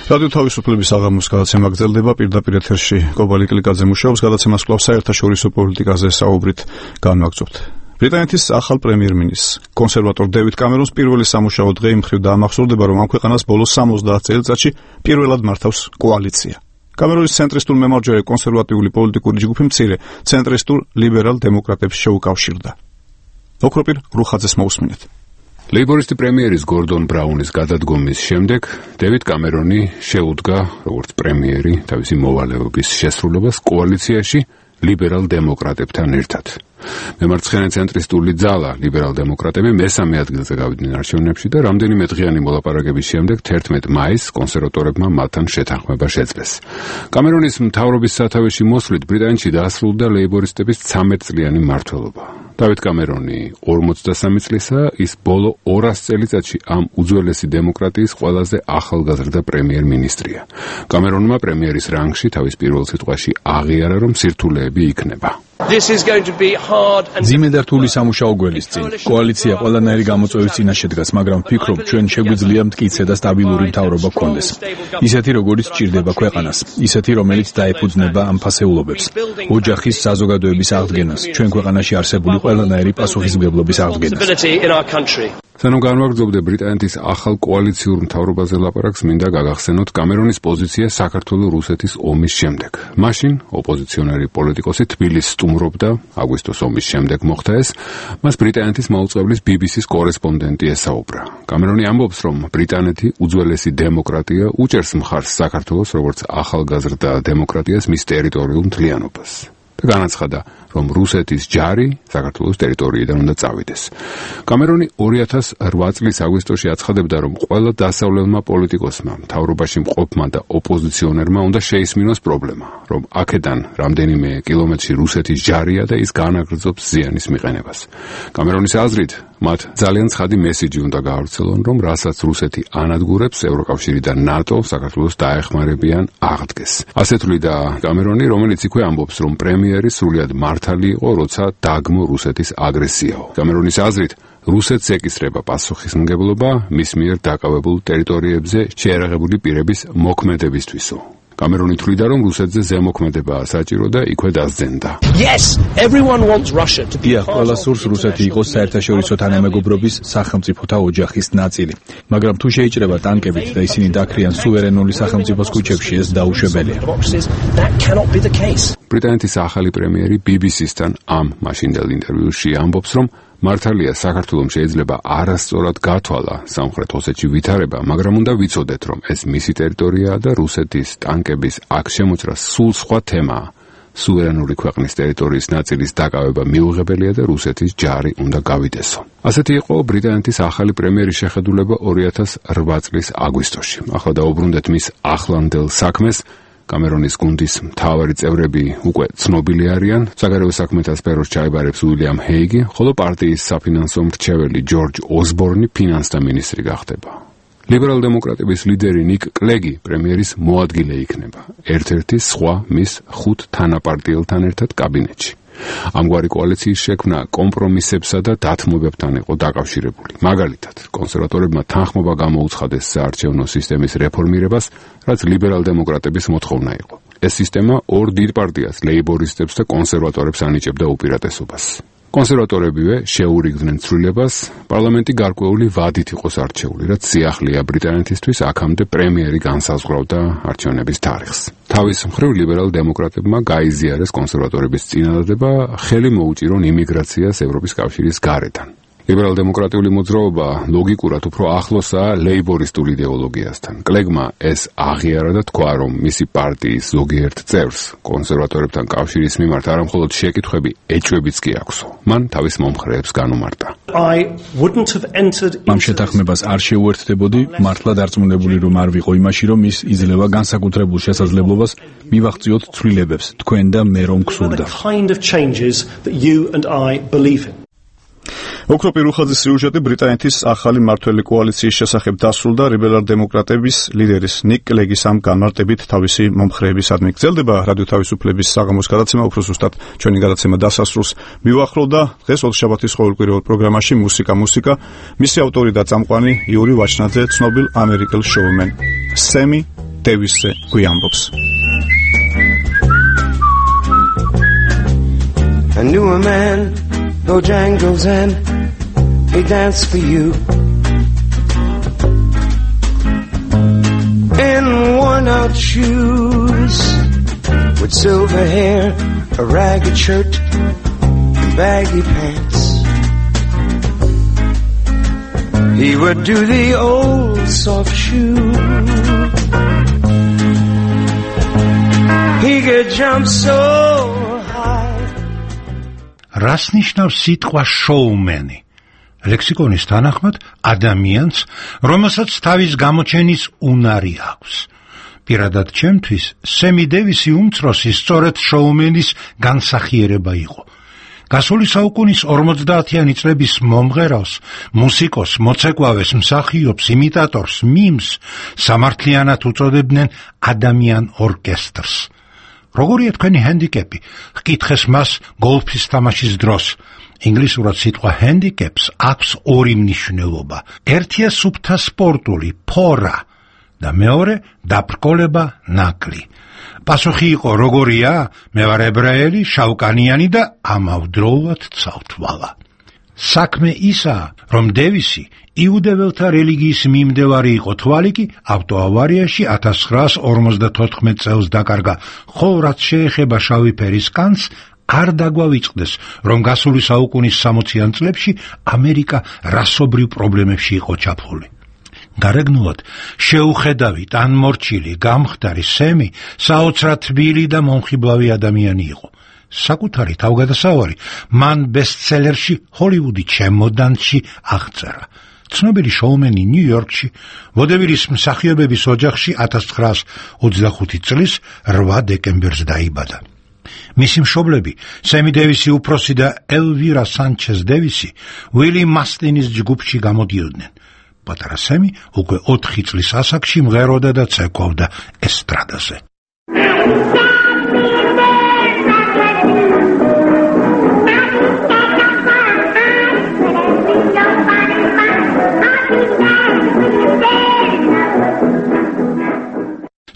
Speaker 3: რადიო თავისუფლების აღამოს გადაცემა გრძელდება, პირდაპირ ეთერში კობალი კლიკაძე მუშაობს, გადაცემას კვლავ საერთაშორისო პოლიტიკაზე საუბრით განვაგრძობთ. ბრიტანეთის ახალ პრემიერ-მინისტრს, კონსერვატორ დევიდ კამერონს პირველი სამუშაო დღე იმ მხრივ დაამახსოვრდება, რომ ამ ქვეყანას ბოლოს 70 წელიწადში პირველად მართავს კოალიცია. კამერონის ცენტრისტულ მემარჯვენე კონსერვატიული პოლიტიკური ჯგუფი მცირე ცენტრისტულ ლიბერალ დემოკრატებს შეუკავშირდა. ოქროპირ რუხაძეს მოусმინეთ.
Speaker 8: ლეიბორისტი პრემიერის გორდონ ბრაუნის გადადგომის შემდეგ დევიდ კამერონი შეუდგა როგორც პრემიერი თავისი მოვალეობის შესრულებას კოალიციაში ლიბერალ დემოკრატებთან ერთად. მემარცხენე ცენტრისტული ძალა ლიბერალ დემოკრატები მესამე ადგილზე გავიდნენ არჩევნებში და რამდენიმე დღიანი მოლაპარაკების შემდეგ 11 მაისს კონსერვატორებმა მათთან შეთანხმება შეძლეს. კამერონის მთავრობის სათავეში მოსვლით ბრიტანეთში დაასრულდა ლეიბორისტების 13 წლიანი მმართველობა. დავით კამერონი 43 წლისაა, ის ბოლო 200 წელიწადში ამ უძველესი დემოკრატიის ყველაზე ახალგაზრდა პრემიერ-მინისტრია. კამერონმა პრემიერის რანგში თავის პირველ სიტყვაში აღიარა, რომ სირთულეები იქნება.
Speaker 3: ძიმე და რთული სამუშაო გველის წინ. კოალიცია ყველანაირი გამოწვევის წინაშე დგას, მაგრამ ვფიქრობ, ჩვენ შეგვიძლია მტკიცე და სტაბილური მთავრობა გქონდეს. ისეთი, როგორიც სჭირდება ქვეყანას, ისეთი, რომელიც დაეფუძნება ამ ფასეულობებს. ოჯახის საზოგადოების აღდგენას, ჩვენ ქვეყანაში არსებული ყველანაირი პასუხისმგებლობის აღდგენას.
Speaker 8: სანამ განვაგრძობდე ბრიტანეთის ახალ კოალიციურ მთავრობაზე ლაპარაკს, მინდა გაგახსენოთ კამერონის პოზიცია საქართველო-რუსეთის ომის შემდეგ. მაშინ ოპოზიციონერი პოლიტიკოსი თბილისს სტუმრობდა, აგვისტოს ომის შემდეგ მოხდა ეს, მას ბრიტანეთის მაუწყებლის BBC-ს კორესპონდენტი ესაუბრა. კამერონი ამბობს, რომ ბრიტანეთი უძველესი დემოკრატია უჭერს მხარს საქართველოს როგორც ახალგაზრდა დემოკრატიას მის ტერიტორიულ მთლიანობას. და განაცხადა, რომ რუსეთის ჯარი საქართველოს ტერიტორიიდან უნდა წავიდეს. კამერონი 2008 წლის აგვისტოში აცხადებდა, რომ ყველა დასავლელმა პოლიტიკოსმა, მთავრობაში მყოფმა და ოპოზიციონერმა უნდა შეისმინოს პრობლემა, რომ აქედან რამდენიმე კილომეტრში რუსეთის ჯარია და ის განაგრძობს ზიანის მიყენებას. კამერონის აზრით, მათ ძალიან ცხადი მესიჯი უნდა გაავრცელონ, რომ რასაც რუსეთი ანადგურებს, ევროკავშირი და ნატო საქართველოს დაეხმარებიან აღდგეს. ასე თვლიდა კამერონი, რომელიც იქვე ამბობს, რომ პრემიერი სრულად მართალი იყო, როცა დაგმო რუსეთის აგრესიაო. კამერონის აზრით, რუსეთს ეკისრება პასუხისმგებლობა მის მიერ დაკავებულ ტერიტორიებზე შეერაღებული პირების მოქმედებისთვისო. კამერონი თვლიდა, რომ რუსეთზე ზემოქმედებაა საჭირო და იქვე დასძენდა. ყველა სურს რუსეთი იყოს საერთაშორისო თანამეგობრობის სახელმწიფოთა ოჯახის ნაწილი, მაგრამ თუ შეიჭრება ტანკებით და ისინი დაქრიან სუვერენული სახელმწიფოს ქუჩებში, ეს დაუშვებელია. ბრიტანეთის ახალი პრემიერი BBC-სთან ამ მაშინდელ ინტერვიუში ამბობს, რომ მართალია საქართველოს შეიძლება არასწორად გათვალა სამხრეთ ოსეთში ვითარება, მაგრამ უნდა ვიცოდეთ, რომ ეს მისი ტერიტორიაა და რუსეთის ტანკების აქ შემოჭრა სულ სხვა თემაა. სუვერენული ქვეყნის ტერიტორიის ნაწილის დაკავება მიუღებელია და რუსეთის ჯარი უნდა გავიდესო. ასეთი იყო ბრიტანეთის ახალი პრემიერის შეხედულება 2008 წლის აგვისტოში. ახლა დაუბრუნდეთ მის ახლანდელ საქმეს. კამერონის გუნდის მთავარი წევრები უკვე ცნობილი არიან. საგარეო საქმეთა სფეროს ჩაიბარებს უილიამ ჰეიგი, ხოლო პარტიის საფინანსო მრჩეველი ჯორჯ ოსბორნი ფინანსთა მინისტრი გახდება. ლიბერალ-დემოკრატების ლიდერი ნიკ კლეგი პრემიერის მოადგილე იქნება. ერთ-ერთი სხვა მის 5 თანაპარტიელთან ერთად კაბინეტში. ამგვარი კოალიციის შექმნა კომპრომისებსა და დათმობებთან იყო დაკავშირებული. მაგალითად, კონსერვატორებმა თანხმობა გამოუცხადეს საარჩევნო სისტემის რეფორმირებას, რაც ლიბერალ-დემოკრატების მოთხოვნა იყო. ეს სისტემა ორ დიდ პარტიას, ლეიბორისტებს და კონსერვატორებს ანიჭებდა უპირატესობას. კონსერვატორებივე შეურიგდნენ ცვლილებას, პარლამენტი გარკვეული ვადით იყოს არჩეული, რაც სიახლეა ბრიტანეთისთვის, აქამდე პრემიერი განსაზღვრავდა არჩევნების თარიღს. თავის მხრივ ლიბერალ-დემოკრატებმა გაიზიარეს კონსერვატორების წინადადება, ხელი მოუჭირონ იმიგრაციას ევროპის კავშირის გარედან. ლიბერალ-დემოკრატიული მოძრაობა ლოგიკურად უფრო ახლოსაა ლეიბორისტულ იდეოლოგიასთან. კლეგმა ეს აღიარა და თქვა, რომ მისი პარტიის ზოგიერთ წევრს კონსერვატორებთან კავშირის მიმართ არამხოლოდ შეკითხვები, ეჭვებიც კი აქვსო. მან თავის მომხრეებს განუმარტა. ამ შეთანხმებას არ შეუერთდებოდი, მართლა დარწმუნებული რომ არ ვიყო იმაში, რომ ის იძლევა განსაკუთრებულ შესაძლებლობას მივაღწიოთ ცვლილებებს, თქვენ და მე რომ გსურდა.
Speaker 1: ოქრო პირუხაძის სიუჟეტი ბრიტანეთის ახალი მმართველი კოალიციის შესახებ დასრულდა ლიბერალ-დემოკრატების ლიდერის ნიკ კლეგის ამ განმარტებით თავისი მომხრეებისადმი. გრძელდება რადიო თავისუფლების საღამოს გადაცემა, უფრო ზუსტად ჩვენი გადაცემა დასასრულს მივახლოვდა. დღეს ოთხშაბათის ყოველკვირეულ პროგრამაში მუსიკა. მისი ავტორი და წამყვანი იური ვაჩნაძე ცნობილ ამერიკელ შოუმენ სემი დევისზე გვიამბობს.
Speaker 10: I knew a man, Bojangles, and he danced for you in worn-out shoes with silver hair, a ragged shirt, and baggy pants. He would do the old soft shoe. He could jump so
Speaker 11: რას ნიშნავს სიტყვა შოუმენი? ლექსიკონის თანახმად ადამიანს, რომელსაც თავის გამოჩენის უნარი აქვს. პირადად ჩემთვის, სემი დევისი უმცროსი სწორედ შოუმენის განსახიერება იყო. გასული საუკუნის 50-იანი წლების მომღერალს, მუსიკოს, მოცეკვავეს, მსახიობს, იმიტატორს, მიმს სამართლიანად უწოდებდნენ ადამიან ორკესტრს. როგორია თქვენი ჰენდიკეპი? ჰკითხეს მას გოლფის თამაშის დროს. ინგლისურად სიტყვა ჰენდიკეპს აქვს ორი მნიშვნელობა. ერთია სუფთა სპორტული, ფორა და მეორე დაბრკოლება, ნაკლი. პასუხი იყო როგორია? მე ვარ ებრაელი, შავკანიანი და ამავდროულად ცალთვალა. საქმე ისაა, რომ დევისი იუდეველთა რელიგიის მიმდევარი იყო, თვალი კი ავტოავარიაში 1954 წელს დაკარგა, ხოლო რაც შეეხება შავი ფერის კანს, არ დაგვავიწყდეს, რომ გასული საუკუნის 60-იან წლებში ამერიკა რასობრივ პრობლემებში იყო ჩაფლული. გარეგნულად შეუხედავი, ტანმორჩილი, გამხდარი სემი საოცრად თბილი და მომხიბლავი ადამიანი იყო. საკუთარი თავგადასავალი მან ბესტსელერში ჰოლივუდი ჩემოდანში აღწერა. ცნობილი შოუმენი ნიუ-იორკში, ვოდევილის მსახიობების ოჯახში 1925 წლის 8 დეკემბერს დაიბადა. მისი მშობლები, სემი დევისი უფროსი და ელვირა სანჩეს დევისი, უილი მასტინის ჯგუფში გამოდიოდნენ. პატარა სემი უკვე 4 წლის ასაკში მღეროდა და ცეკვავდა ესტრადაზე.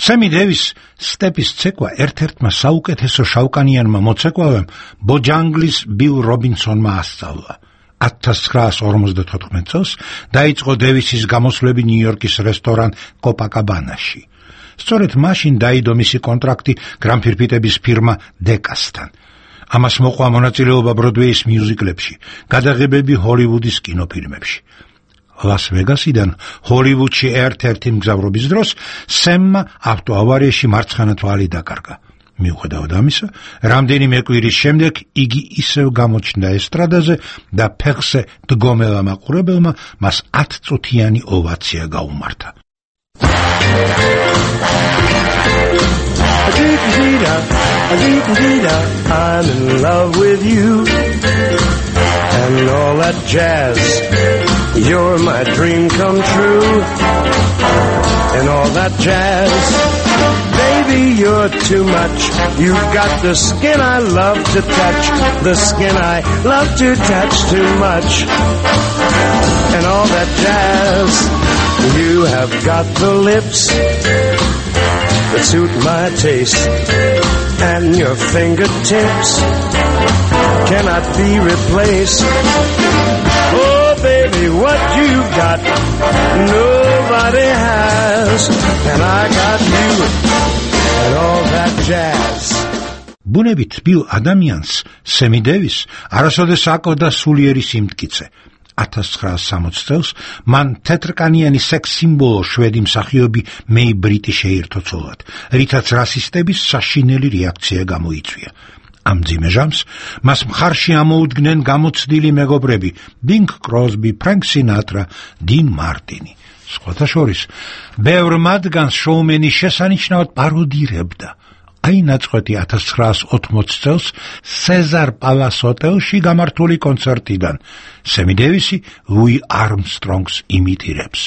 Speaker 11: სემი დევის სტეპის ცეკვა ერთ-ერთმა საუკეთესო შავკანიანმა მოცეკვავემ ბოჯანგლის ბილ რობინსონმა ასწავლა. 1954 წელს დაიწყო დევისის გამოსვლები ნიუ-იორკის რესტორან კოპაკაბანაში. სწორედ მაშინ დაიდო მისი კონტრაქტი გრამფირფიტების ფირმა დეკასთან. ამას მოყვა მონაწილეობა ბროდვეის მიუზიკლებში, გადაღებები ჰოლივუდის კინოფილმებში. ლას ვეგასიდან ჰოლივუდში ერთ-ერთი მგზავრობის დროს სემმა ავტოავარიაში მარცხენა თვალი დაკარგა. მიუხედავად ამისა, რამდენიმე კვირის შემდეგ იგი ისევ გამოჩნდა ესტრადაზე და ფეხზე დგომელა მაყურებელმა მას 10 წუთიანი ოვაცია გაუმართა.
Speaker 10: I'm in love with you and all that jazz. You're my dream come true and all that jazz. Baby, you're too much. You've got the skin I love to touch, the skin I love to touch too much and all that jazz. You have got the lips that suit my taste and your fingertips cannot be replaced. Oh baby, what you got nobody has, and I got you and all that jazz.
Speaker 11: ბუნებით ბილ ადამიანს სემი დევის არასოდეს აკოდა სულიერი სიმტკიცე. 1960 წელს მან თეთრკანიანი სექს სიმბოლო შვედი მსახიობი მეი ბრიტი შეირთო ცოლად, რითაც რასისტების საშინელი რეაქცია გამოიწვია. ამ მძიმე ჟამს მას მხარში ამოუდგნენ გამოცდილი მეგობრები ბინგ კროსბი, ფრენკ სინატრა, 딘 მარტინი. სხვათა შორის, ბევრ მათგანს შოუმენი შესანიშნავად პაროდირებდა. აი ნაწყვეტი 1980 წელს სეზარ პალას ჰოტელში გამართული კონცერტიდან. სემი დევისი ლუი არმსტრონგს იმიტირებს.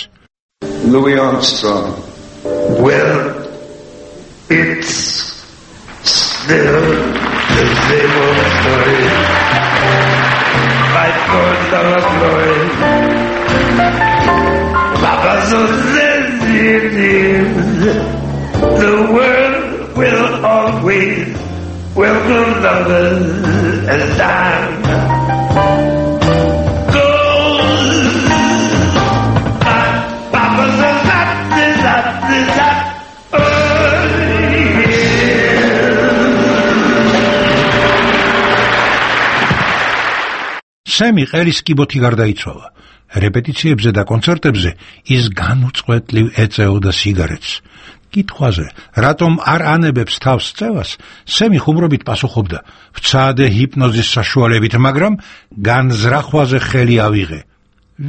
Speaker 5: Louis Armstrong. Well, it's still the same old story. Fight for dollar glory. Papa so says it is. The world will always welcome lovers as time goes. Papa says that.
Speaker 11: სემი ყელის კიბოთი გარდაიცვალა. რეპეტიციებზე და კონცერტებზე ის განუწყვეტლივ ეწეოდა სიგარეტს. კითხვაზე, რატომ არ ანებებს თავს წევას, სემი ხუმრობით პასუხობდა: ვცადე ჰიპნოზის საშუალებით, მაგრამ განზრახვაზე ხელი ავიღე.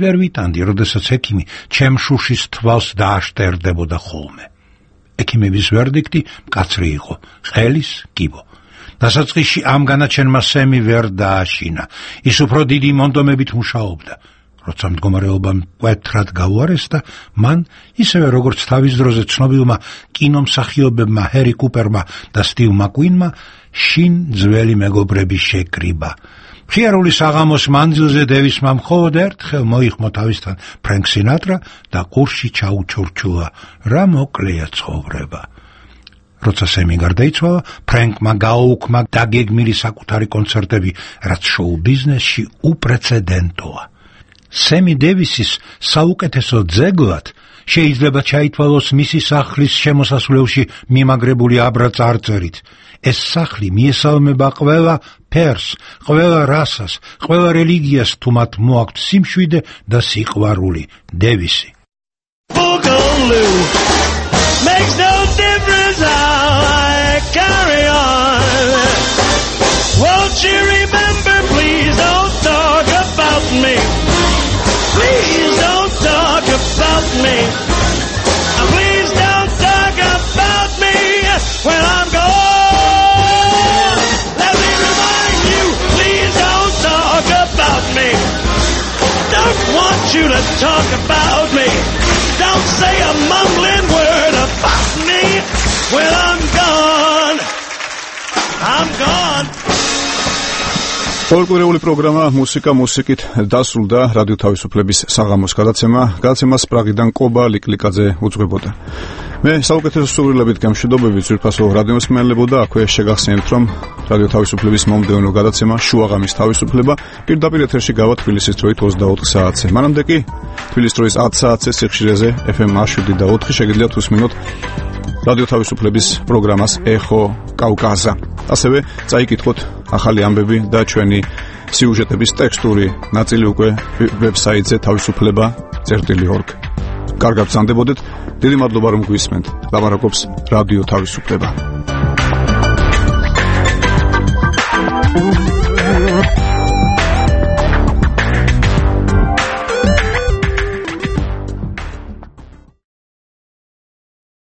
Speaker 11: ვერ ვიტანდი, როდესაც ექიმი ჩემ შუშის თვალს დააშტერდებოდა ხოლმე. ექიმების ვერდიქტი მკაცრი იყო: ყელის კიბო. დასაწყისში ამ განაჩენმა სემი ვერ დააშინა. ის უფრო დიდი მონდომებით მუშაობდა. როცა მდგომარეობა მკვეთრად გაუარესდა, მან ისევე როგორც თავის დროზე ცნობილმა კინომსახიობებმა ჰერი კუპერმა და სტივ მაკვინმა შინ ძველი მეგობრები შეკრიბა. მხიარული საღამოს მანძილზე დევისმა მხოლოდ ერთხელ მოიხმო თავისთან ფრენკ სინატრა და ყურში ჩაუჩურჩულა, რა მოკლეა ცხოვრება. როცა სემი გარდაიცვალა, ფრენკმა გააუქმა დაგეგმილი საკუთარი კონცერტები, რაც შოუ ბიზნესში უპრეცედენტოა. სემი დევისის საუკეთესო ძეგლად შეიძლება ჩაითვალოს მისი სახლის შემოსასვლელში მიმაგრებული აბრა წარწერით. ეს სახლი მიესალმება ყველა ფერს, ყველა რასას, ყველა რელიგიას, თუ მათ მოაქვთ სიმშვიდე და სიყვარული. დევისი.
Speaker 5: Makes no difference how I carry on. Won't you remember, please don't talk about me. Please don't talk about me. Please don't talk about me when I'm gone. Let me remind you, please don't talk about me. Don't want you to talk about me. Don't say a mumbling word about me when I'm gone. I'm gone.
Speaker 1: ფოლკლორული პროგრამა მუსიკა მუსიკით დასრულდა რადიო თავისუფლების საღამოს გადაცემას პრაღიდან კობა ლიკლიკაძე უძღვებოდა. მე საუკეთესო სურვილებით გამშვიდობებით ძვირფასო რადიომსმენელებო და აქვე შეგახსენებთ, რომ რადიო თავისუფლების მომდევნო გადაცემა შუაღამის თავისუფლება პირდაპირ ეთერში გავა თბილისის დროით 24 საათზე. მანამდე კი თბილისის დროის 10 საათზე სიხშირეზე FM 7 შეგიძლიათ უსმინოთ რადიო თავისუფლების პროგრამას ეხო კავკაზა. ასევე წაიკითხოთ ახალი ამბები და ჩვენი სიუჟეტების ტექსტური ნაწილი უკვე ვებსაიტზე თავისუფლება.org. კარგად გრძანდებოდეთ. დიდი მადლობა რომ გვისმენთ. ლაპარაკობს რადიო თავისუფლება.